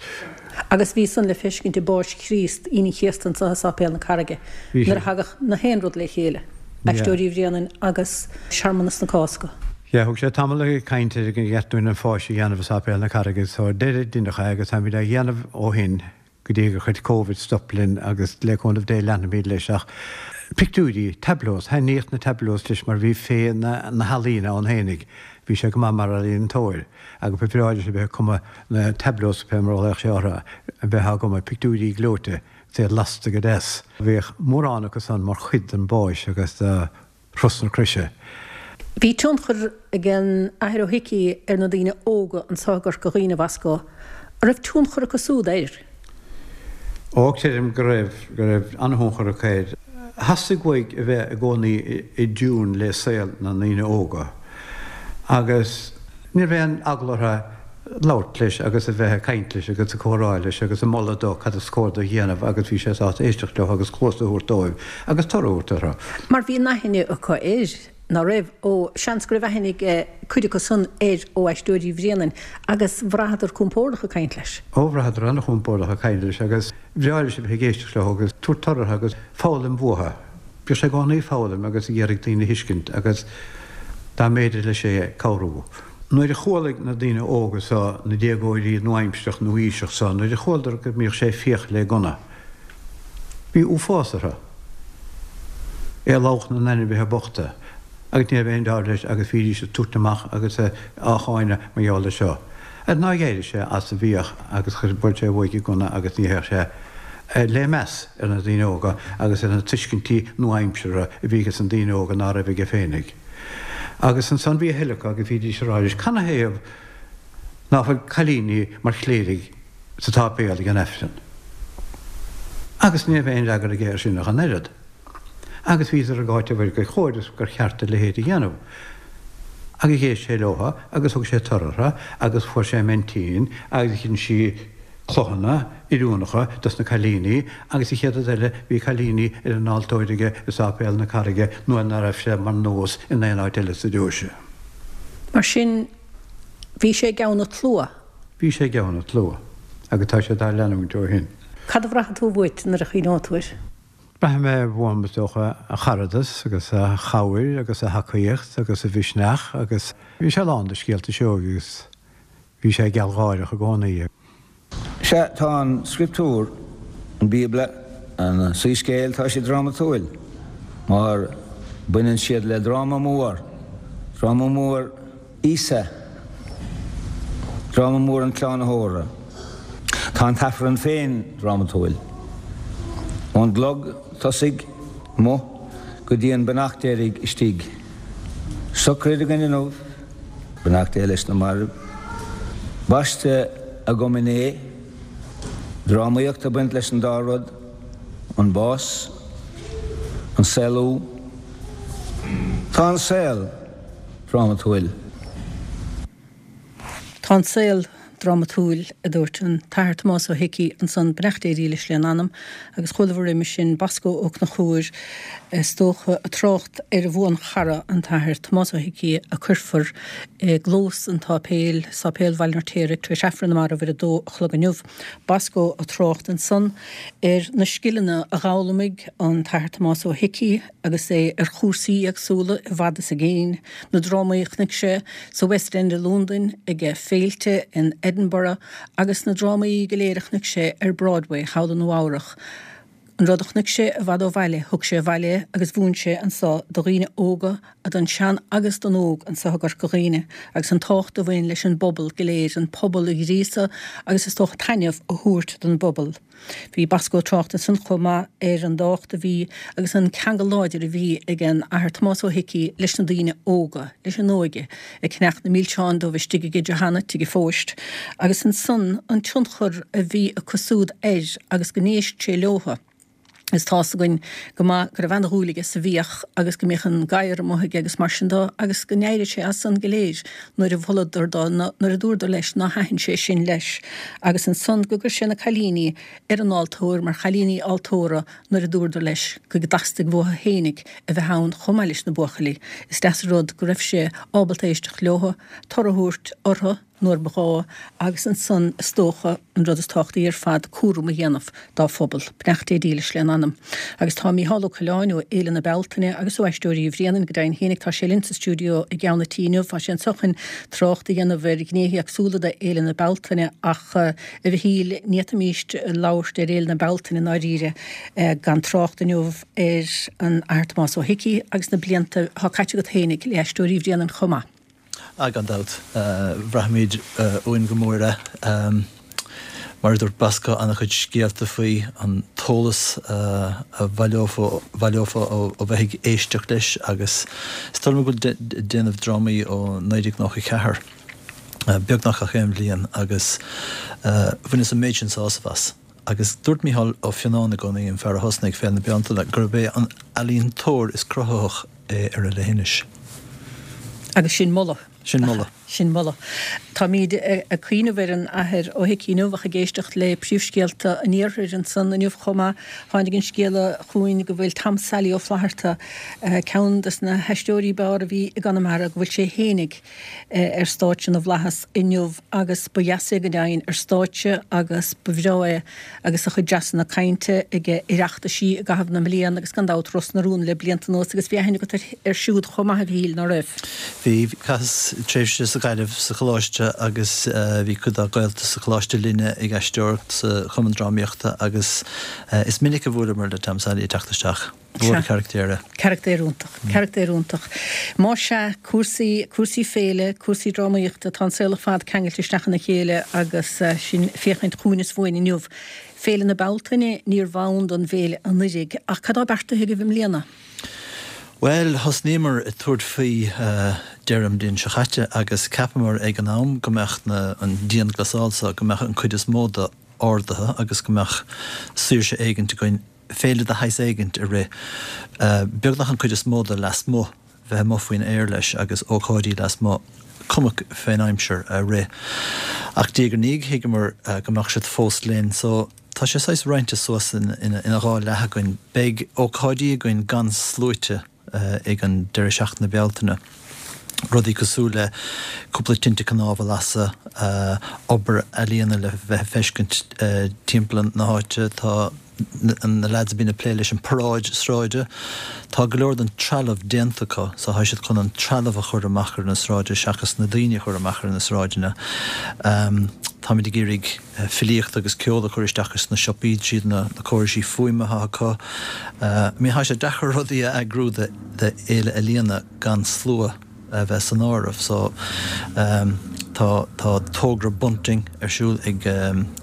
A: Agus bhí san le feiscint i bPáis Chríost, Aoine an Chéasta anso i Sáipéal na Carraige, nuair a thagadh na haon rud le chéile, Aisteoirí Bhréanainn agus searmanas na Cásca.
C: Yeah, thug sé tamall ag caint ar gur cheart dúinn an Pháis a dhéanamh i Sáipéal na Carraige so ar deireadh deineadh é agus táimid á dhéanamh ó shin go dtí gur chuir Covid stop linn agus le cúnamh Dé leanfaimid leis ach pictiúirí, tableaus, thaitníodh na tableaus leis mar bhí féith na healaíne ann fhéinig, bhí sé go maith mar ealaíontóir agus ba bhreá leis a bheith ag cumadh na tableaus pé mar a ghlaodh sé orthu, a bheith á gcumadh, pictiúirí gleoite, is iad lasta go deas. Bhíodh mórán acu san mar chuid den bPáis agus de Thuras na Croise.
A: Bhí tionchar ag an Athair Ó hIcí ar na daoine óga anso i gCorca Dhuibhne, a Bhosco. An raibh tionchar acu súd air?
C: Ó, creidim go raibh, go raibh an-thionchar acu air. Theastaigh uaidh a bheith i gcónaí i dtiún le saol na ndaoine óga agus ní raibh aon eagla orthu labhairt leis agus a bheith ag caint leis agus ag comhrá leis agus ag moladh dó cad is cóir dó a dhéanamh agus bhí sé sásta éisteacht leo agus cluas a thabhairt dóibh agus toradh a thabhairt orthu.
A: Mar bhí an-aithne acu air, ná raibh? Ó, seans go raibh aithne ag cuid acu san air ó Aisteoirí Bhréanainn agus bhraitheadar compordach ag caint leis.
C: Ó, bhraitheadar an-chompordach ag caint leis agus bhreá leis a bheith ag éisteacht leo agus tabhairt toradh orthu agus foghlaim uathu. Bhíodh sé i gcónaí ag foghlaim agus ag iarraidh daoine a thuiscint agus dá mb'fhéidir leis é, cabhrú. Nuair a chualaigh na daoine óga so, na déagóirí nua-aimsearach, nua-aoiseach so, nuair a chualadar go mbíodh sé ag fiach le gunna, bhí uafás orthu. É ag lamhach na n-ainmhithe bochta agus ní raibh aon dealramh leis agus bhídís ag tabhairt amach agus á cháineadh mar gheall air seo. Ar nár dh'éirigh sé as an bhfiach agus chuir bhuail sé uaidh an gunna agus ní théadh sé le meas ar na daoine óga agus ar na tuiscintí nua-aimseartha a bhí ages na daoine óga ná raibh aige féinig. Agus ansan bhí a thuilleadh acu agus bhídís ag rá leis, Canathaobh ná fuil cailíní mar chléirigh sa tsáipéal ag an Aifreann? Agus ní raibh aon fhreagra aige air sin ach an oiread. Agus bhíodar ag áiteamh air gur chóir is gur cheart a leithéid a dhéanamh. Agus d'éist sé leotha agus thug sé toradh orthu agus fuair sé Mentín agus dhein sí cloghanna oiriúnacha dos na cailíní agus an chéad rud eile bhí cailíní ar an altóir aige i Sáipéal na Carraige nuair ná raibh sé mar nós in aon áit eile sa deoise.
A: Mar sin, bhí sé i gceann an tslua.
C: Bhí sé i gceann an tslua agus tá sé dá leanúint ó shin.
A: Cad a bhraitheann tú uait nuair a chuimhneoidh tú air?
C: Braithfidh mé uaim, is dócha, a charadas agus a chabhair agus a thacaíocht agus a mhisneach agus bhí sé lán de scéalta sióga agus bhí sé gealgháireach i gcónaí.
D: Sea, tá an Scrioptúr, an Bíobla, an Soiscéal, tá siad drámatúil mar baineann siad le dráma mór, dráma mór Íosa, dráma mór an tSlánaitheora. Tá an tAifreann féin drámatúil. Ón gclog tosaigh amuigh go dtí an beannacht deiridh istigh. Sochraid againn inniu, beannacht Dé leis na mairbh. Baisteadh agam inné, drámaíocht ag baint leis an dá rud, an bás, an saolú. Tá an saol drámatúil.
A: Tá an saol drámatúil, a dúirt an tAthair Tomás Ó hIcí ansan, beannacht Dé dhílis lena anam, agus chualamar roimis sin Bosco Ó Conchúir, is dócha, ag trácht ar a bhuanchara, an tAthair Tomás Ó hIcí, a cuirfear i gclós an tsáipéil, Sáipéal Bhaile an Fheirtéaraigh, tar éis Aifreann na Marbh ar a dó a chlog inniu. Bosco ag trácht ansan ar na scileanna a d'fhoghlaimigh an tAthair Tomás Ó hIcí agus é ar chúrsaí éagsúla i bhfad is i gcéin, na drámaí a chonaic sé sa West End i Londain, ag féilte in Edinburgh agus na drámaí go léir a chonaic sé ar Broadway thall i Nua Eabhrach. An rud a chonaic sé i bhfad ó bhaile, thug sé abhaile é agus mhúin sé anso do dhaoine óga, don sean agus don óg anso i gCorca Dhuibhne, agus an tábhacht a bhain leis an bpobal go léir, an pobal a ghríosadh agus is dócha taitneamh a thabhairt don bpobal. Bhí Bosco ag trácht ansan chomh maith ar an dtábhacht a bhí agus an ceangal láidir a bhí ag an Athair Tomás Ó hIcí leis na daoine óga, leis an óige, ag ceannach na milseáin dóibh istigh ag Johanna, Tigh an Phóist, agus ansan an tionchar a bhí acu súd air agus go n-éist sé leotha. Is tá's againn go maith go raibh ana-dhúil aige sa bhfiach agus go mbíodh an gadhar amuigh aige agus mar sin de agus go n-éiríodh sé as san go léir nuair a mholadar dó, nuair a dúradar leis ná thaitin sé sin leis agus ansan go gcuir sé na cailíní ar an altóir mar chailíní altóra nuair a dúradar leis go dteastaigh uathu fhéinig a bheith ann chomh maith leis na buachaillí. Is deas an rud go raibh sé ábalta éisteacht leothu, toradh a thabhairt orthu nuair ba ghá agus ansan is dócha, an rud is tábhachtaí ar fad, cúram a dhéanamh dá phobal. Beannacht Dé dílis lena anam. Agus tá Mícheál Ó Coileáin ó Fhéile na Bealtaine agus ó Aisteoirí Bhréanainn go deimhin fhéinig, tá sé linn sa stiúideo i gceann an tí inniu. Tá sé anseo chun trácht a dhéanamh ar ghnéithe éagsúla de Fhéile na Bealtaine ach, a Mhichíl, ní fhéadfaimíst labhairt ar Fhéile na Bealtaine i ndáiríre gan trácht inniu ar an Athair Tomás Ó hIcí agus na blianta atá caite agat fhéinig le hAisteoirí Bhréanainn chomh maith.
E: Ah, gan dabht, bhraithimid uainn go mór é. Mar a dúirt Bosco, an-chuid scéalta faoi, an t-eolas a bhaileofá ó bheith ag éisteacht leis agus is dóigh liom go bhfuil ag déanamh drámaí ó naoi déag nócha ceathair, beagnach gach aon bhliain, agus bhaineas an méid sin sásamh as. Agus dúirt Mícheál Ó Fionnáin i gcónaí, an fear a thosnaigh Féile na Bealtaine, gurb é an ealaíontóir is cruthaitheach é ar an leithinis.
A: Agus sin moladh.
E: Sin moladh.
A: Sin moladh. Táimid ag cuimhneamh ar an Athair Ó hIcí inniu ach ag éisteacht le príomhscéalta an iarthair ansan inniu chomh maith. Tháinig an scéala chugainn go bhfuil Tom Sailí Ó Flatharta, ceann des na haisteoirí b'fhearr a bhí i gConamara, go bhfuil sé fhéinig ar stáitse na bhFlaitheas inniu agus ba dheas é go deimhin ar stáitse agus ba bhreá é agus a chuid dreasanna cainte ag Oireachtaisí i gcaitheamh na mblian agus gan dabht Ros na Rún le blianta anuas agus bhí aithne agat air siúd chomh maith a Mhichíl, ná raibh?
E: Bhí, chaitheas tréimhse sa Ghaillimh sa choláiste agus bhí cuid dá ghaolta sa choláiste linne ag aisteoireacht sa Chumann Drámaíochta agus is minic a bhuaileamar le Tom Sailí ag teacht isteach. Mhór an carachtéir é.
A: Carachtéir iontach. Carachtéir iontach. Má sea, cúrsaí, cúrsaí féile, cúrsaí drámaíochta, tá an saol ar fad ceangailte isteach ina chéile agus sinn ag féachaint chugainn is uainn inniu. Féile na Bealtaine, níorbh ann don bhféile anuiridh, ach cad tá beartaithe agaibh i mbliana?
E: Bhuel, thosnaíomar ag tabhairt faoi deireadh an bhliain seo chaite agus cheapamar ag an am go mbeadh na, an dianghlasáil seo, go mbeadh an cuid is mó de ardaithe agus go mbeadh saoirse éigint againn féile de shaghas éigint a rith, beagnach an cuid is mó de lasmuigh, bheith amuigh faoin aer leis agus ócáidí lasmuigh, cuma fén aimsir, a rith. Ach diaidh ar ndiaidh thuigeamar go mbeadh siad fós linn so tá sé saghas roinnte suas ina dhá leath againn. Beidh ócáidí againn gan sluaite ag an deireadh seachtaine Bealtaine. Rudaí cosúil le cúpla tinte cnámh a lasadh, obair ealaíona le bheith ag feiscint timpeall na háite, tá na leaids a bhíonn ag plé leis an paráid sráide, tá go leor den trealamh déanta acu so tá siad chun an trealamh a chur amach ar na sráide seachas na daoine a chur amach ar na sráideanna. Táimid ag iarraidh filíocht agus ceol a chur isteach sna siopaí tríd na córaisí fuaime atá acu. I mean tá sé deacair rudaí a eagrú do fhéile ealaíona gan slua a bheith san áireamh so tá tá togra bunting ar siúl ag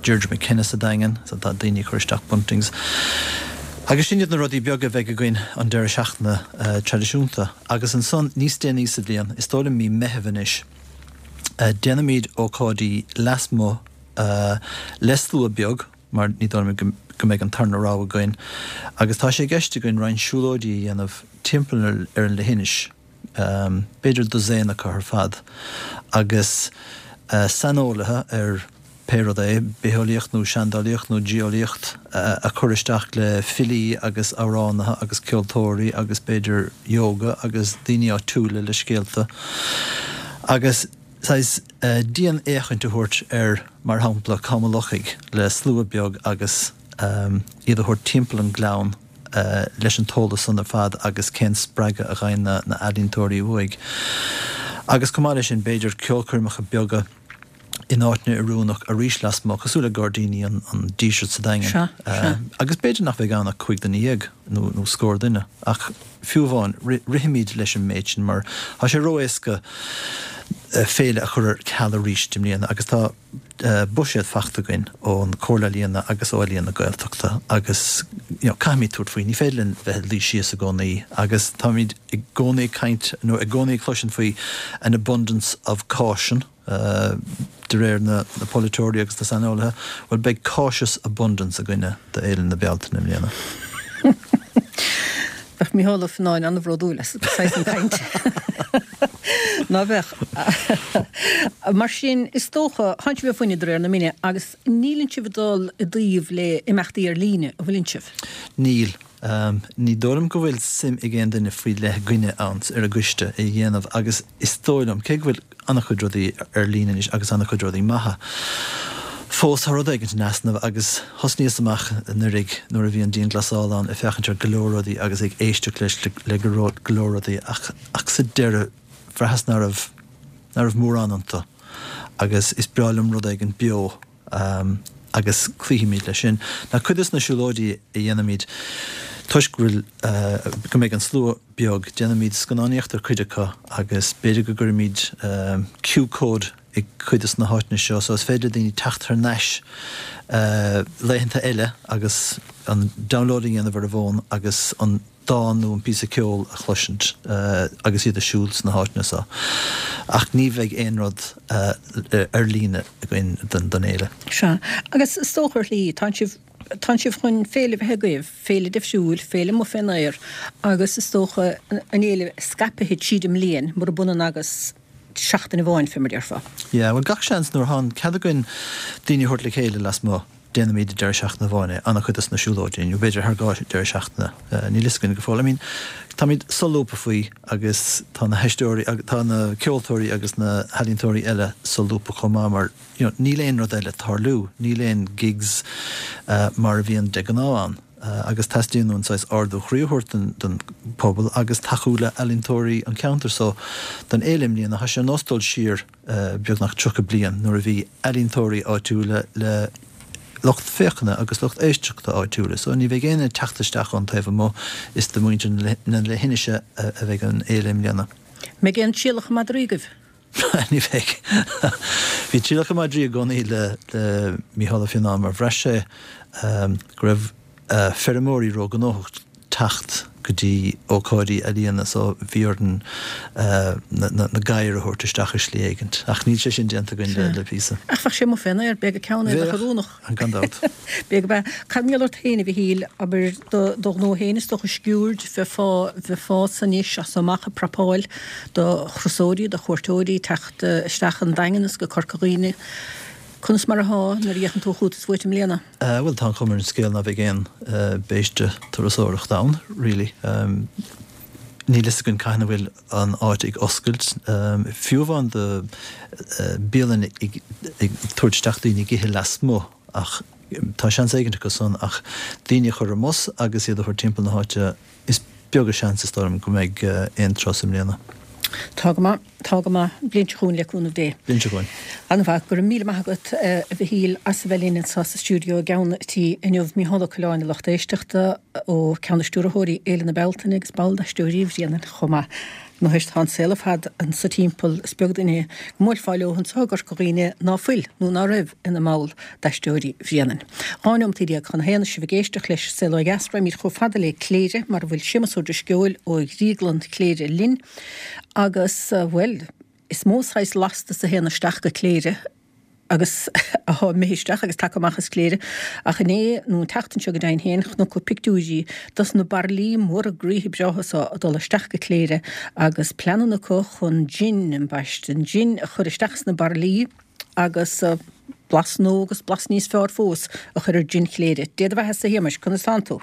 E: Deirdre McKenna sa Daingean so tá daoine ag cur isteach buntings. Agus sin iad na rudaí beaga a bheidh againn an deireadh seachtaine traidisiúnta. Agus ansan níos déanaí sa bhliain, is dóigh liom mí Meitheamh anois, déanaimid ócáidí lasmuigh le slua beag mar ní dóigh liom go mbeidh an tarna rogha againn agus tá sé i gceist againn roinnt siúlóidí a dhéanamh timpeall ar an leithinis. b'fhéidir dosaen acu ar fad, agus saineolaithe ar pé rud é, bitheolaíocht nó seandálaíocht nó geolaíocht, a chur isteach le filí agus amhránaithe agus ceoltóirí agus b'fhéidir yoga agus daoine áitiúla le scéalta agus saghas dianfhéachaint a thabhairt ar, mar shampla, Com an Lochaigh le slua beag agus iad a thabhairt timpeall an gleann. leis an t-eolas san ar fad agus cén spreagadh a gheibheann na h-ealaíontóirí uaidh. Agus chomh maith leis sin, b'fhéidir ceolchoirmeacha beaga in áiteanna oiriúnach arís lasmuigh, cosúil le Gairdíní an Dísirt sa Daingean.
A: Sea, sea.
E: Agus b'fhéidir nach bheidh ann ach cúig duine dhéag nó nó scór duine, ach fiú amháin, rithimid leis an méid sin mar tá sé ró-éasca féile a chur ar ceal arís i mbliana agus tá buiséad fachta againn ón Chomhairle Ealaíona agus ó Ealaíon na Gaeltachta agus you know caithfimid tabhairt faoi, ní féidir linn bheith ag luí síos i gcónaí agus táimid i gcónaí ag caint nó i gcónaí ag cloisint faoi an abundance of caution de réir na na polaiteoirí agus na saineolaithe, bhuel beidh cautious abundance againne do Fhéile na Bealtaine i mbliana.
A: Bheadh Mícheál Ó Fionnáin an-bhródúil as saghas an chaint. Ná bheadh? Mar sin, is dócha, tánn sibh ag fuineadh de réir na mine agus níleann sibh ag dul i dtaobh le imeachtaí ar líne, an bhfuileann sibh?
E: Níl. Ní dóigh liom go bhfuil suim ag aon duine faoi leith againne ann ar an gcoiste é a dhéanamh agus is dóigh liom, cé go bhfuil an-chuid rudaí ar líne anois agus an-chuid rudaí maithe, fós tá rud éigin in easnamh agus thosnaíos amach anuraidh nuair a bhí an dianghlasáil ann ag féachaint ar go leor rudaí agus ag éisteacht leis le go leor rudaí ach ach sa deireadh bhraitheas ná raibh ná raibh mórán iontu agus is breá liom rud éigin beo agus cloífimid leis sin. Now cuid de na siúlóidí a dhéanaimid toisc go bhfuil go mbeidh an slua beag déanaimid scannánaíocht ar cuid acu agus b'fhéidir go gcuirfimid Q code i gcuid de na háiteanna seo so is féidir le daoine teacht thar n-ais laethanta eile agus an download a dhéanamh ar a bhfón agus an dán nó an píosa ceoil a chloisint agus iad ag siúl sna háiteanna seo. Ach ní bheidh aon rud ar líne againn don fhéile.
A: Sea. Agus is dócha ar shlí, tánn sibh, tánn sibh chun féile a bheith agaibh, féile difriúil, féile amuigh fén aer agus is dócha an fhéile scaipthe tríd an mbliain murab ionann agus seachtain amháin, fé mar a déarfá.
E: Yeah, bhuel gach seans nuair atá an cead againn daoine a thabhairt le chéile lasmuigh, déanaimid i deireadh seachtaine amháin é, an-chuid dos na siúlóidí, nó b'fhéidir thar dhá deireadh seachtaine, níl fhios againn go fóill. I mean, táimid solúbtha faoi agus tá na haisteoirí, tá na ceoltóirí agus na healaíontóirí eile solúbtha chomh maith mar, you know, níl aon rud eile ag tarlú, níl aon gigs mar a bhíonn de ghnáth ann agus teastaíonn uainn saghas ardú chroí a thabhairt don don pobal agus tacú le healaíontóirí an cheantair so don fhéile i mbliana tá sé ar nós dul siar beagnach tríocha bliain nuair a bhí ealaíontóirí áitiúla le lucht féachana agus lucht éisteachta áitiúla so ní bheidh éinne ag teacht isteach ón taobh amuigh, is do mhuintir na leithinise a bheidh an fhéile i mbliana.
A: Mbeidh aon trialacha madraí agaibh?
E: Ní bheidh. Bhí trialacha madraí i gcónaí le Mícheál Ó Fionnáin mar bhraith sé go raibh feirmeoirí róghnóthach teacht go dtí ócáidí ealaíona so bhí orainn na gadhair a thabhairt isteach i slí éigint. Ach níl sé sin déanta againn le píosa.
A: Ach bheadh sé amuigh fén aer, b'fhéidir go ceann é a bheadh oiriúnach.
E: Gan dabht.
A: B'fhéidir go b'ea. Cad mar gheall ort féin, a Mhichíl, abair do do ghnó féin is dócha Sciuird, bheifeá bheifeá anois as so amach ag prapáil do thurasóirí, do chuairteoirí teacht isteach an Daingean is go Corca Dhuibhne. Conas mar athá nuair a fhéachann tú chugat is uait i mbliana?
E: Bhuel, tá an chuma ar an scéal ná beidh aon béiste turasóireachta ann, really. Níl fhios againn cathain a bhfuil an áit ag oscailt. Fiú amháin do bialann ag tabhairt isteach daoine ag ithe lasmuigh ach tá seans éigin acu san ach daoine a chur ar an mbus agus iad a thabhairt timpeall na háite, is beag an seans is dóigh liom go mbeidh aon turas i mbliana.
A: Tá go maith, tá go maith. Bliain seo chugainn le cúnamh Dé.
E: Bliain seo chugainn.
A: An-mhaith. Go raibh míle maith agat, a Mhichíl, as a bheith linn anseo sa stiúideo i gceann an tí inniu. Micheál Ó Coileáin, a lucht éisteachta, ó ceann de stiúrthóirí Fhéile na Bealtaine agus ball d'Aisteoirí Bhréanainn chomh maith. Anois tá an saol ar fad anso timpeall, is beag duine go mbuailfeá leo anseo i gCorca Dhuibhne ná fuil nó ná raibh ina mball d'Aisteoirí Bhréanainn. Dhá neomat déag chun a haon is sibh ag éisteacht leis Saol Ó Dheas, raghaimid chomh fada le Cléire mar a bhfuil Séamus Ó Drisceoil ó Dhrioglann Chléire linn agus, bhuel, is mó saghas lastas a théann isteach go Cléire agus atá imithe isteach agus tagtha amach as Cléire ach inné, nó an tseachtain seo go deimhin féin, chonac pictiúirí dos na bairillí móra groíthe breátha so ag dul isteach go Cléire agus pleananna acu chun jin, ambaiste, an jin a chur isteach sna bairillí agus blas nua agus blas níos fearr fós a chur ar jin Chléire. Dé do bheatha-sa, a Shéamais, conas tánn tú?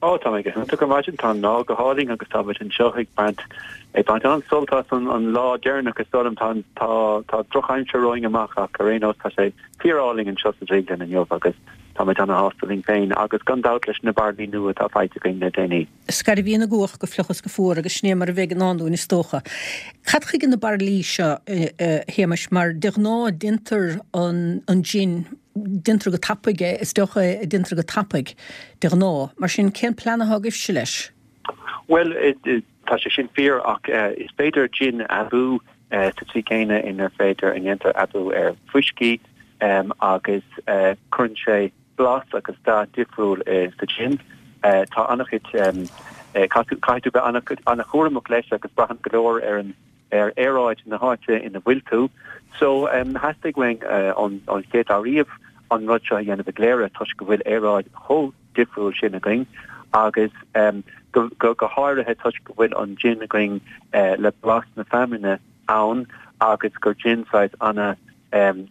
F: Ó, tá mé go hiontach ar maidin, tá an lá go hálainn agus tá muid anseo ag baint ag baint an-sult as an an lá deireanach is dóigh liom. Tá tá tá drochaimsir romhainn amach ach ar aon nós tá sé fíor-álainn anseo sa drioglann inniu agus tá muid ana-shásta linn féin agus gan dabht leis na bairillí nua atá faighte againn le déanaí.
A: Scairbhíonn an gcuach go fliuch is go fuar agus sin é mar a bheidh i ndán dúinn is dócha. Cad chuige na bairillí seo, a Shéamais, mar de ghnáth déantar an an jin Déantar go tapaidh é, is deoch é a déantar go tapaidh, de ghnáth. Mar sin, cén plean atá agaibhse leis?
F: Bhuel, tá sé sin fíor, ach is féidir jin a aibiú sa tslí chéanna inar féidir a ndéantar aibiú ar fuiscí agus cuireann sé blas agus dath difriúil sa jin. Tá an-chuid, caithfidh tú bheith an-chúramach leis agus braitheann go leor ar an ar aeráid na háite ina bhfuil tú. So, theastaigh uainn ón chéad lá riamh an rud seo a dhéanamh i gCléire toisc go bhfuil aeráid chomh difriúil sin againn agus go háirithe toisc go bhfuil an jin againn le blas na feamainne ann agus gur jin saghas ana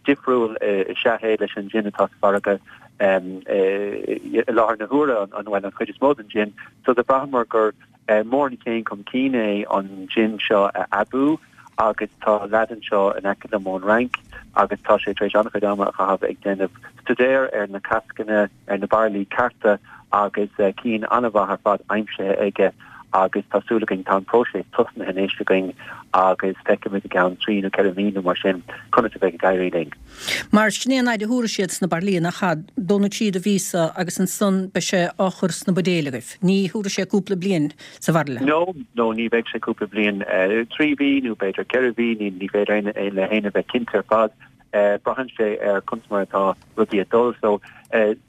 F: difriúil is ea é leis an jin atá sa mhargadh i láthair na huaire, an bhuel an chuid is mó den jin. So do bhraitheamar gur Mór an chéim chun cinn é an jin seo a aibiú agus tá leaid anseo in aice liom ón Fhrainc agus tá sé tar éis an-chuid ama a chaitheamh ag déanamh staidéir ar na cascanna, ar na bairillí cearta agus cinn an-mhaith ar fad aimsithe aige agus tá súil againn, tá an próiseas tosnaithe anois againn agus feicfimid i gceann trí nó ceithre mhí nó mar sin conas a bheidh ag éirí linn.
A: Mar sin é an fhaid a thabharfaidh siad sna bairillí, nach ea? Dó nó trí de mhíosa agus ansan beidh sé á chur sna buidéil agaibh. Ní thabharfaidh sé cúpla bliain sa bhairille.
F: No, no, ní bheidh sé cúpla bliain. Trí mhí nó b'fhéidir ceithre mhí, ní ní féidir aon le héinne bheith cinnte ar fad. Braitheann sé ar conas mar atá rudaí ag dul. So,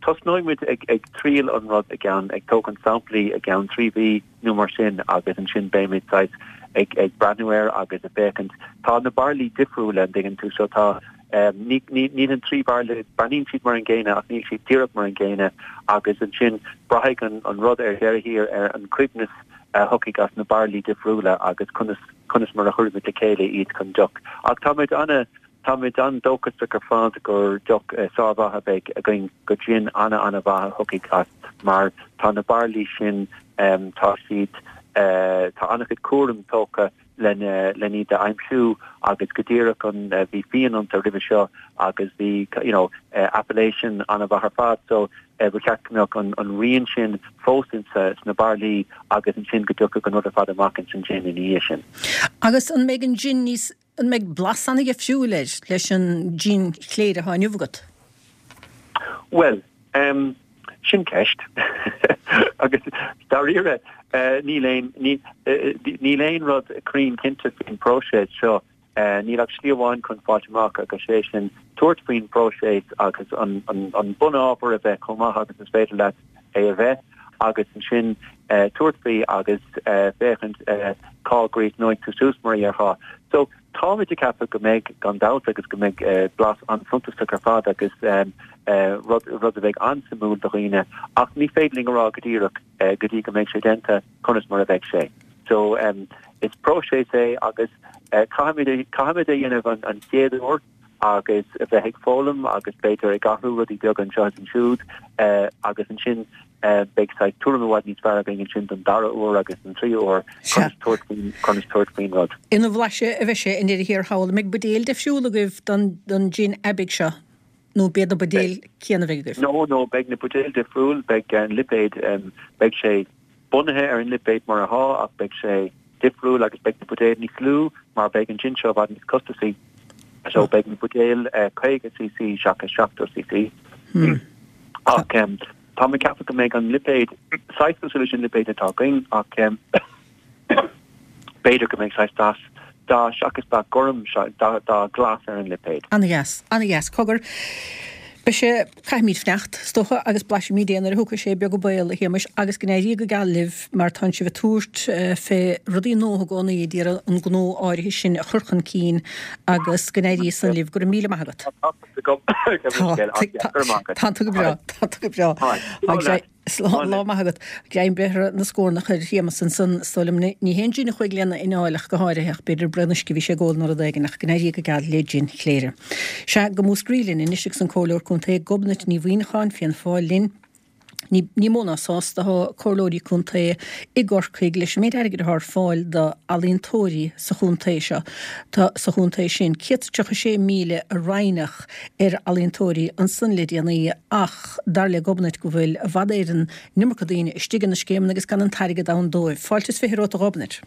F: tosnóidh muid ag ag triail an rud i gceann, ag tógaint samplaí i gceann trí mhí nó mar sin agus ansin beimid saghas ag ag breathnú air agus ag féachaint. Tá na bairillí difriúil, an dtuigeann tú, so tá ní ní níl an trí bhairille, breathnaíonn siad mar an gcéanna ach níl siad díreach mar an gcéanna agus ansin braithfidh an an rud ar deireadh thiar ar an coibhneas a thiocfaidh as na bairillí difriúla agus conas conas mar a chuirfimid le chéile iad chun deoch. Ach táimid ana Táimid an-dóchasach ar fad gur deoch sármhaith a bheidh againn, gur jin ana-ana-mhaith a thiocfaidh as mar tá na bairillí sin, tá siad, tá an-chuid cúraim tógtha lena, len iad a aimsiú agus go díreach an, bhí fíon iontu roimhe seo agus bhí you know appellation an-mhaith ar fad so ba cheart go mbeadh an, an rian sin fós insa, sna bairillí agus ansin go dtiocfadh an rud ar fad amach ins an jin ina dhiaidh sin.
A: Agus an mbeidh an jin níos An mbeidh blas an-dhifriúil air leis an jin Chléire atá inniu agat?
F: Bhuel, em, sin ceist. Agus dáiríre, eh, níl aon, ní, eh, níl aon rud cruinn cinnte faoin bpróiseas seo. Eh, níl ach slí amháin chun fáilt amach agus sé sin tabhairt faoin bpróiseas agus an, an, an bunábhar a bheith chomh maith agus is féidir leat é a bheith agus ansin tabhairt faoi agus féachaint cá gcríochnóidh tú suas mar a dhéarfá. So táimid ag ceapadh go mbeidh gan dabht agus go mbeidh blas an-suntasach ar fad agus rud rud a bheidh an-suimiúil do dhaoine ach ní féidir linn a rá go díreach go dtí go mbeidh sé déanta conas mar a bheidh sé. So is próiseas é agus caithfimid caithfimid é a dhéanamh an chéad uair agus a bheith ag foghlaim agus b'fhéidir ag athrú rudaí beaga anseo is ansiúd agus ansin Beidh saghas tuairim i bhfad níos fearr againn ansin don dara huair agus don tríú huair conas tabhairt faoin conas tabhairt faoin rud.
A: Ina bhlaiseadh a bheidh sé i ndeireadh thiar thall. An mbeidh buidéil difriúil agaibh don don jin aibidh seo nó b'iad na buidéil céanna a bheidh agaibh?
F: No, no, beidh na buidéil difriúil, beidh an lipéad, beidh sé bunaithe ar an lipéad mar atá ach beidh sé difriúil agus beidh na buidéil níos lú mar beidh an jin seo i bhfad níos costasaí. So beidh na buidéil caoga cc seachas seachtó cc. Ach tá mé ag ceapadh go mbeidh an lipéad saghas cosúil leis an lipéad atá againn ach b'fhéidir go mbeidh saghas dath dath seachas dath gorm dath glas ar an lipéad.
A: Ana-dheas, ana-dheas. Cogar, beidh sé, caithfimid fanacht, is dócha, agus blaisfimid é nuair a thiocfaidh sé beag an baol, a Shéamais, agus go n-éirí go geal libh mar tánn sibh ag tabhairt fé rudaí nua i gcónaí ag iarraidh an gnó áirithe sin a chur chun cinn agus go n-éirí san libh. Go raibh míle maith agat. Tá tú go breá, tá tú go breá. Slán, lá maith agat. Greim bréithre na scornach ar Shéamus ansan, is dóigh liom. Ní haon jin a chuaigh lena anáil ach go háirithe, ach b'fhéidir braon uisce a bhí sé ag ól nó rud éigin, ach go n-éirí go geal le jin Chléire. Sea, go Múscraí linn anois agus an Comhairleoir Contae Gobnait Ní Mhuimhneacháin, Fianna Fáil linn. Ní, ní mó ná sásta atá comhairleoirí contae i gCorcaigh leis an méid airgid atá ar fáil d'ealaíontóirí sa chontae seo. Tá sa chontae sin céad is tríocha sé míle a roinneadh ar ealaíontóirí ansan le déanaí ach dar le Gobnait go bhfuil i bhfad Éireann an iomarca daoine istigh ina scéimeanna agus gan an t-airgead ann dóibh. Fáilte is fiche romhat a Ghobnait.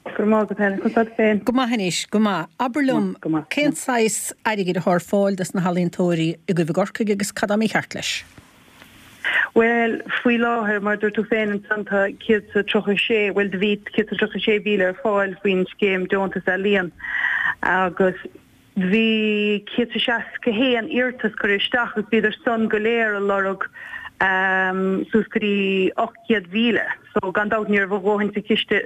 G: Go raibh maith agat Helen. Conas tá tú féin?
A: Go maith anois, go maith. Abair liom, cén saghas airgid atá ar fáil dos na healaíontóirí agaibh i gCorcaigh agus cad tá mícheart leis?
G: Bhuel, faoi láthair, mar a dúirt tú féin ansan, tá céad is tríocha sé, bhuel, do bhí céad is tríocha sé mhíle ar fáil faoin scéim Deontas Ealaíon agus bhí céad is seasca haon iarratas curtha isteach agus bhíodar san go léir a lorg suas go dtí ocht gcéad mhíle. So gan dabht ní raibh a dhóthain sa chiste,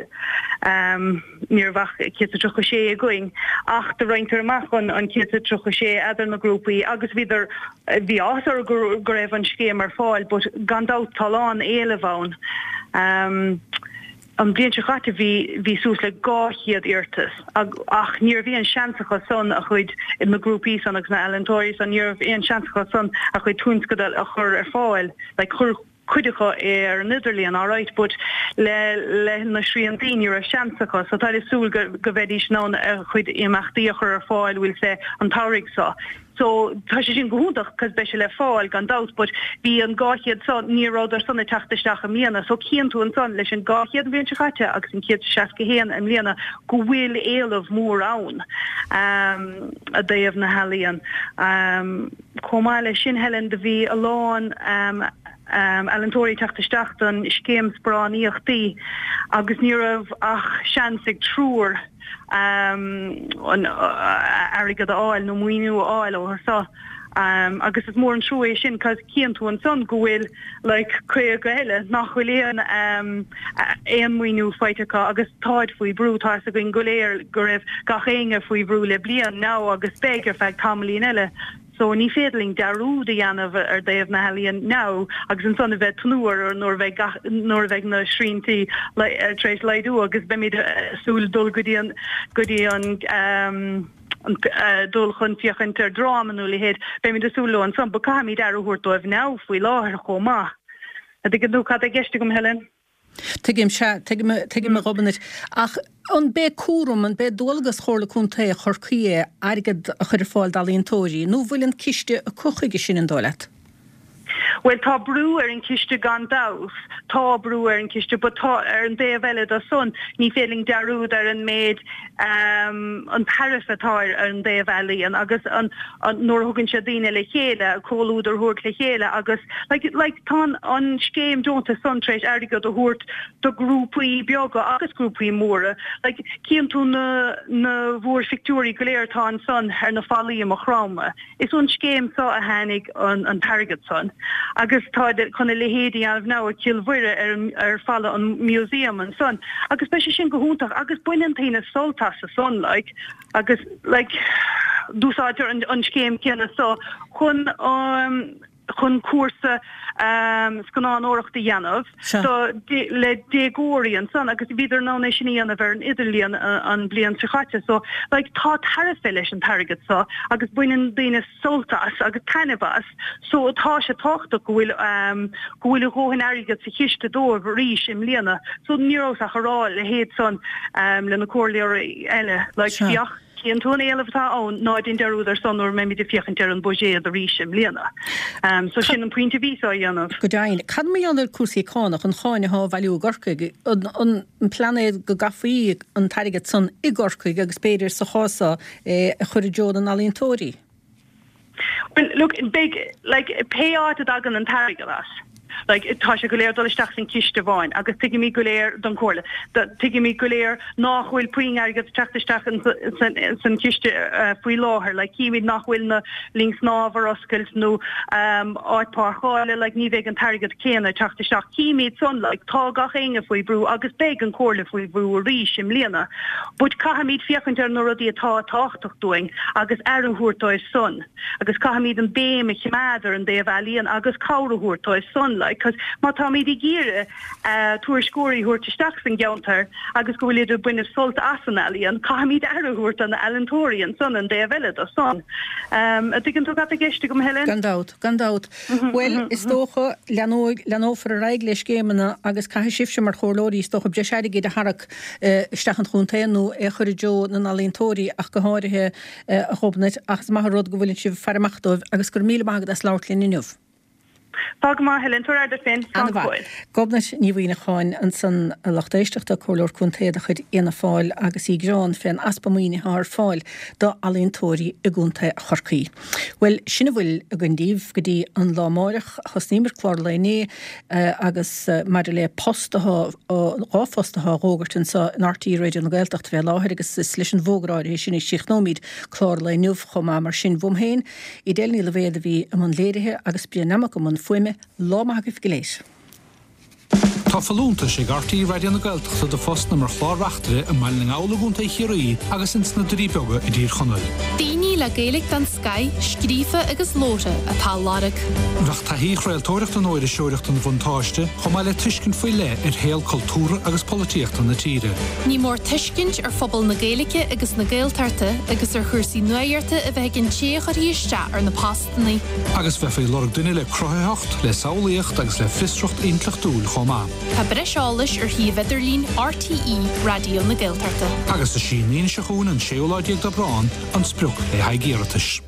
G: ní raibh ach céad is tríocha sé againn ach do roinntear amach an an céad is tríocha sé eadar na grúpaí agus bhíodar, bhí áthas orthu go go raibh an scéim ar fáil but gan dabht tá a lán éileamh ann. An bhliain seo caite bhí bhí suas le dhá chéad iarratas ach ní raibh aon seans acu san a chuid, na grúpaí san agus na ealaíontóirí san, ní raibh aon seans acu san a chuid tionscadail a chur ar fáil. Like chuir cuid acu é ar an idirlíon alright but le le na sriantaí ní raibh seans acu so táid ag súil go go mbeidís in ann a chuid imeachtaí a chur ar fáil bhfuil sé an tsamhraidh seo. So tá sé sin go hiontach cos beidh sé le fáil gan dabht but bhí an dhá chéad san, ní rabhadar san ag teacht isteach i mbliana so cíonn tú ansan leis an dhá chéad an bhliain seo caite agus an céad is seasca haon i mbliana go bhfuil éileamh mór ann i dtaobh na healaíon. Chomh maith leis sin Helen do bhí a lán ealaíontóirí ag teacht isteach don scéim sparánaíochtaí agus ní raibh ach seans ag triúr an airgead a fháil nó maoiniú a fháil ó so agus is mór an trua é sin cos cíonn tú ansan go bhfuil like caoga eile nach bhfuil aon aon maoiniú faighte acu agus táid faoi bhrú tá fhios againn go léir go raibh gach éinne faoi bhrú le bliain now agus beidh ar feadh tamaillín eile. So ní féidir linn dearúd a dhéanamh ar dtaobh na healaíon now agus ansan a bheith tnúth ar nuair a bheidh gach nuair a bheidh na sriantaí tar éis laghdú agus beimid ag súil dul go dtí an go dtí an an dul chun féachaint ar dráma nó a leithéid beimid ag súil leo ansan but caithfimid aire a thabhairt dóibh now faoi láthair chomh maith. An dtuigeann tú cad é i gceist agam Helen?
A: Tuigim, sea, tuigim, tuigim a Ghobnait. Ach an b'é cúram, an b'é dualgas Chomhairle Contae Chorcaí é airgead a chur ar fáil d'ealaíontóirí, nó bhfuil an ciste acu chuige sin, an dóigh leat?
G: Bhuel, tá brú ar an chiste gan dabht, tá brú ar an chiste, but tá, ar an dtaobh eile de san, ní féidir linn dearúd ar an méid, an tairbhe atá ar an dtaobh ealaíon agus an, an, nuair a thugann sé daoine le chéile, comhluadar a thabhairt le chéile agus, like, like, tá an, an scéim deontais san tar éis airgead a thabhairt do grúpaí beaga agus grúpaí móra. Like, cíonn tú na, na mhúrphictiúirí go léir atá ansan ar na fallaí i Maigh Chromtha. Is ón scéim so a tháinig an, an t-airgead san. Agus táid chun a leithéid a dhéanamh now i gCill Mhuire ar an, ar falla an museum ansan. Agus beidh sé sin go hiontach agus baineann daoine sult as san, like, agus, like, d'úsáidtear an, an scéim céanna so chun, um, chun cúrsa scannánóireachta a dhéanamh so le déagóirí ansan agus bhíodar in ann é sin a dhéanamh ar an idirlíon an bliain seo chaite so like tá tairbhe leis an t-airgead so agus baineann daoine sult as agus taitneamh as so tá sé tábhachtach go bhfuil go bhfuil a dhóthain airgead sa chiste dóibh arís i mbliana so ní raibh ach a rá a leithéid san le na comhairleoirí eile like féach Cíonn tú an éileamh atá ann, ná déan dearúd ar son nuair a mbeimid ag féachaint ar an buiséad arís i mbliana. So sin an pointe a bhíos á dhéanamh.
A: Go deimhin. Cad mar gheall ar cúrsaí cánach, an cháin atá á bhailiú i gCorcaigh? An plean é go gcaithfí an t-airgead san i gCorcaigh agus b'fhéidir sa chás seo é a chur i dtreo na n-ealaíontóirí?
G: Well, look, beidh, like, pé áit a dtagann an t-airgead as, like, tá sé go léir dul isteach san ciste amháin agus tuigimid go léir don chomhairle, tuigimid go léir nach bhfuil puinn airgead ag teacht isteach san chiste faoi láthair, like, címid nach bhfuil na linn snámha ar oscailt nó áit páirceála, like, ní bheidh an t-airgead céanna ag teacht isteach. Címid san, like, tá gach éinne faoi bhrú agus beidh an chomhairle faoi bhrú arís i mbliana. But caithfimid féachaint ar na rudaí atá tábhachtach dúinn agus aire a thabhairt dóibh san agus caithfimid an béim a choimeád ar an dtaobh ealaíon agus cabhair a thabhairt dóibh san like cos má táimid ag iarraidh tuairisceoirí a thabhairt isteach san gceantar agus go bhfuilid ag baint sult as an ealaíon caithfimid aire a thabhairt do na ealaíontóirí ansan an dtaobh eile do san. An dtuigeann tú cad tá i gceist agam Helen?
A: Gan dabht, gan dabht. Bhuel, is dócha, leanóidh, leanófar ar aghaidh le scéimeanna agus caithfidh sibhse mar chomhairleoirí is dócha breis airgid a tharrac isteach an chontae nó é a chur i dtreo na n-ealaíontóirí ach go háirithe, a Ghobnait, ach is maith an rud go bhfuileann sibh ag faire amach dóibh agus go raibh míle maith agat as labhairt linn inniu.
G: Tá go maith, Helen. Tabhair aire duit féin. Slán go fóill.
A: Gobnait Ní Mhuimhneacháin ansan, a lucht éisteachta, Comhairleoir Contae de chuid Fhianna Fáil agus í ag gearán fén easpa maoinithe atá ar fáil do ealaíontóirí i gContae Chorcaí. Bhuel, sin a bhfuil againn daoibh go dtí an lá amáireach. Thosnaíomar clár lae inné agus maidir le post atá, dhá phost atá á bhfógairt anseo in RTÉ Raidió na Gaeltachta fé láthair agus is leis an bhfógra áirithe sin a chríochnóimid clár lae inniu chomh maith. Mar sin, uaim féin, Edel Ní Loibhéad a bhí i mbun léirithe agus Brian Nammock i mbun fuaime, lá maith agaibh go léir.
H: Tá folúntais ag RTÉ Raidió na Gaeltachta do phostanna mar chlár-reachtaire i mBaile na nGall i gContae Chiarraí agus ins na Doirí Beaga i dTír Chonaill.
I: Daoine le Gaeilge den scoith, scríofa agus labhartha, atá á lorg.
H: Bheadh taithí chraoltóireachta nó iriseoireachta ina bhuntáiste, chomh maith le tuiscint faoi leith ar shaol cultúrtha agus polaitíochta na tíre.
I: Ní mór tuiscint ar phobal na Gaeilge agus na Gaeltachta agus ar chúrsaí nuachta a bheith ag an té a chuirfidh isteach ar na postanna.
H: Agus bheifí ag lorg duine le cruthaitheacht, le samhlaíocht agus le fiosracht intleachtúil chomh maith.
I: Tá breis eolais ar shuíomh idirlín RTÉ Raidió na Gaeltachta.
H: Agus is í an Aoine seo chugainn, an séú lá déag d'Aibreán, an sprioc le haghaidh iarratais.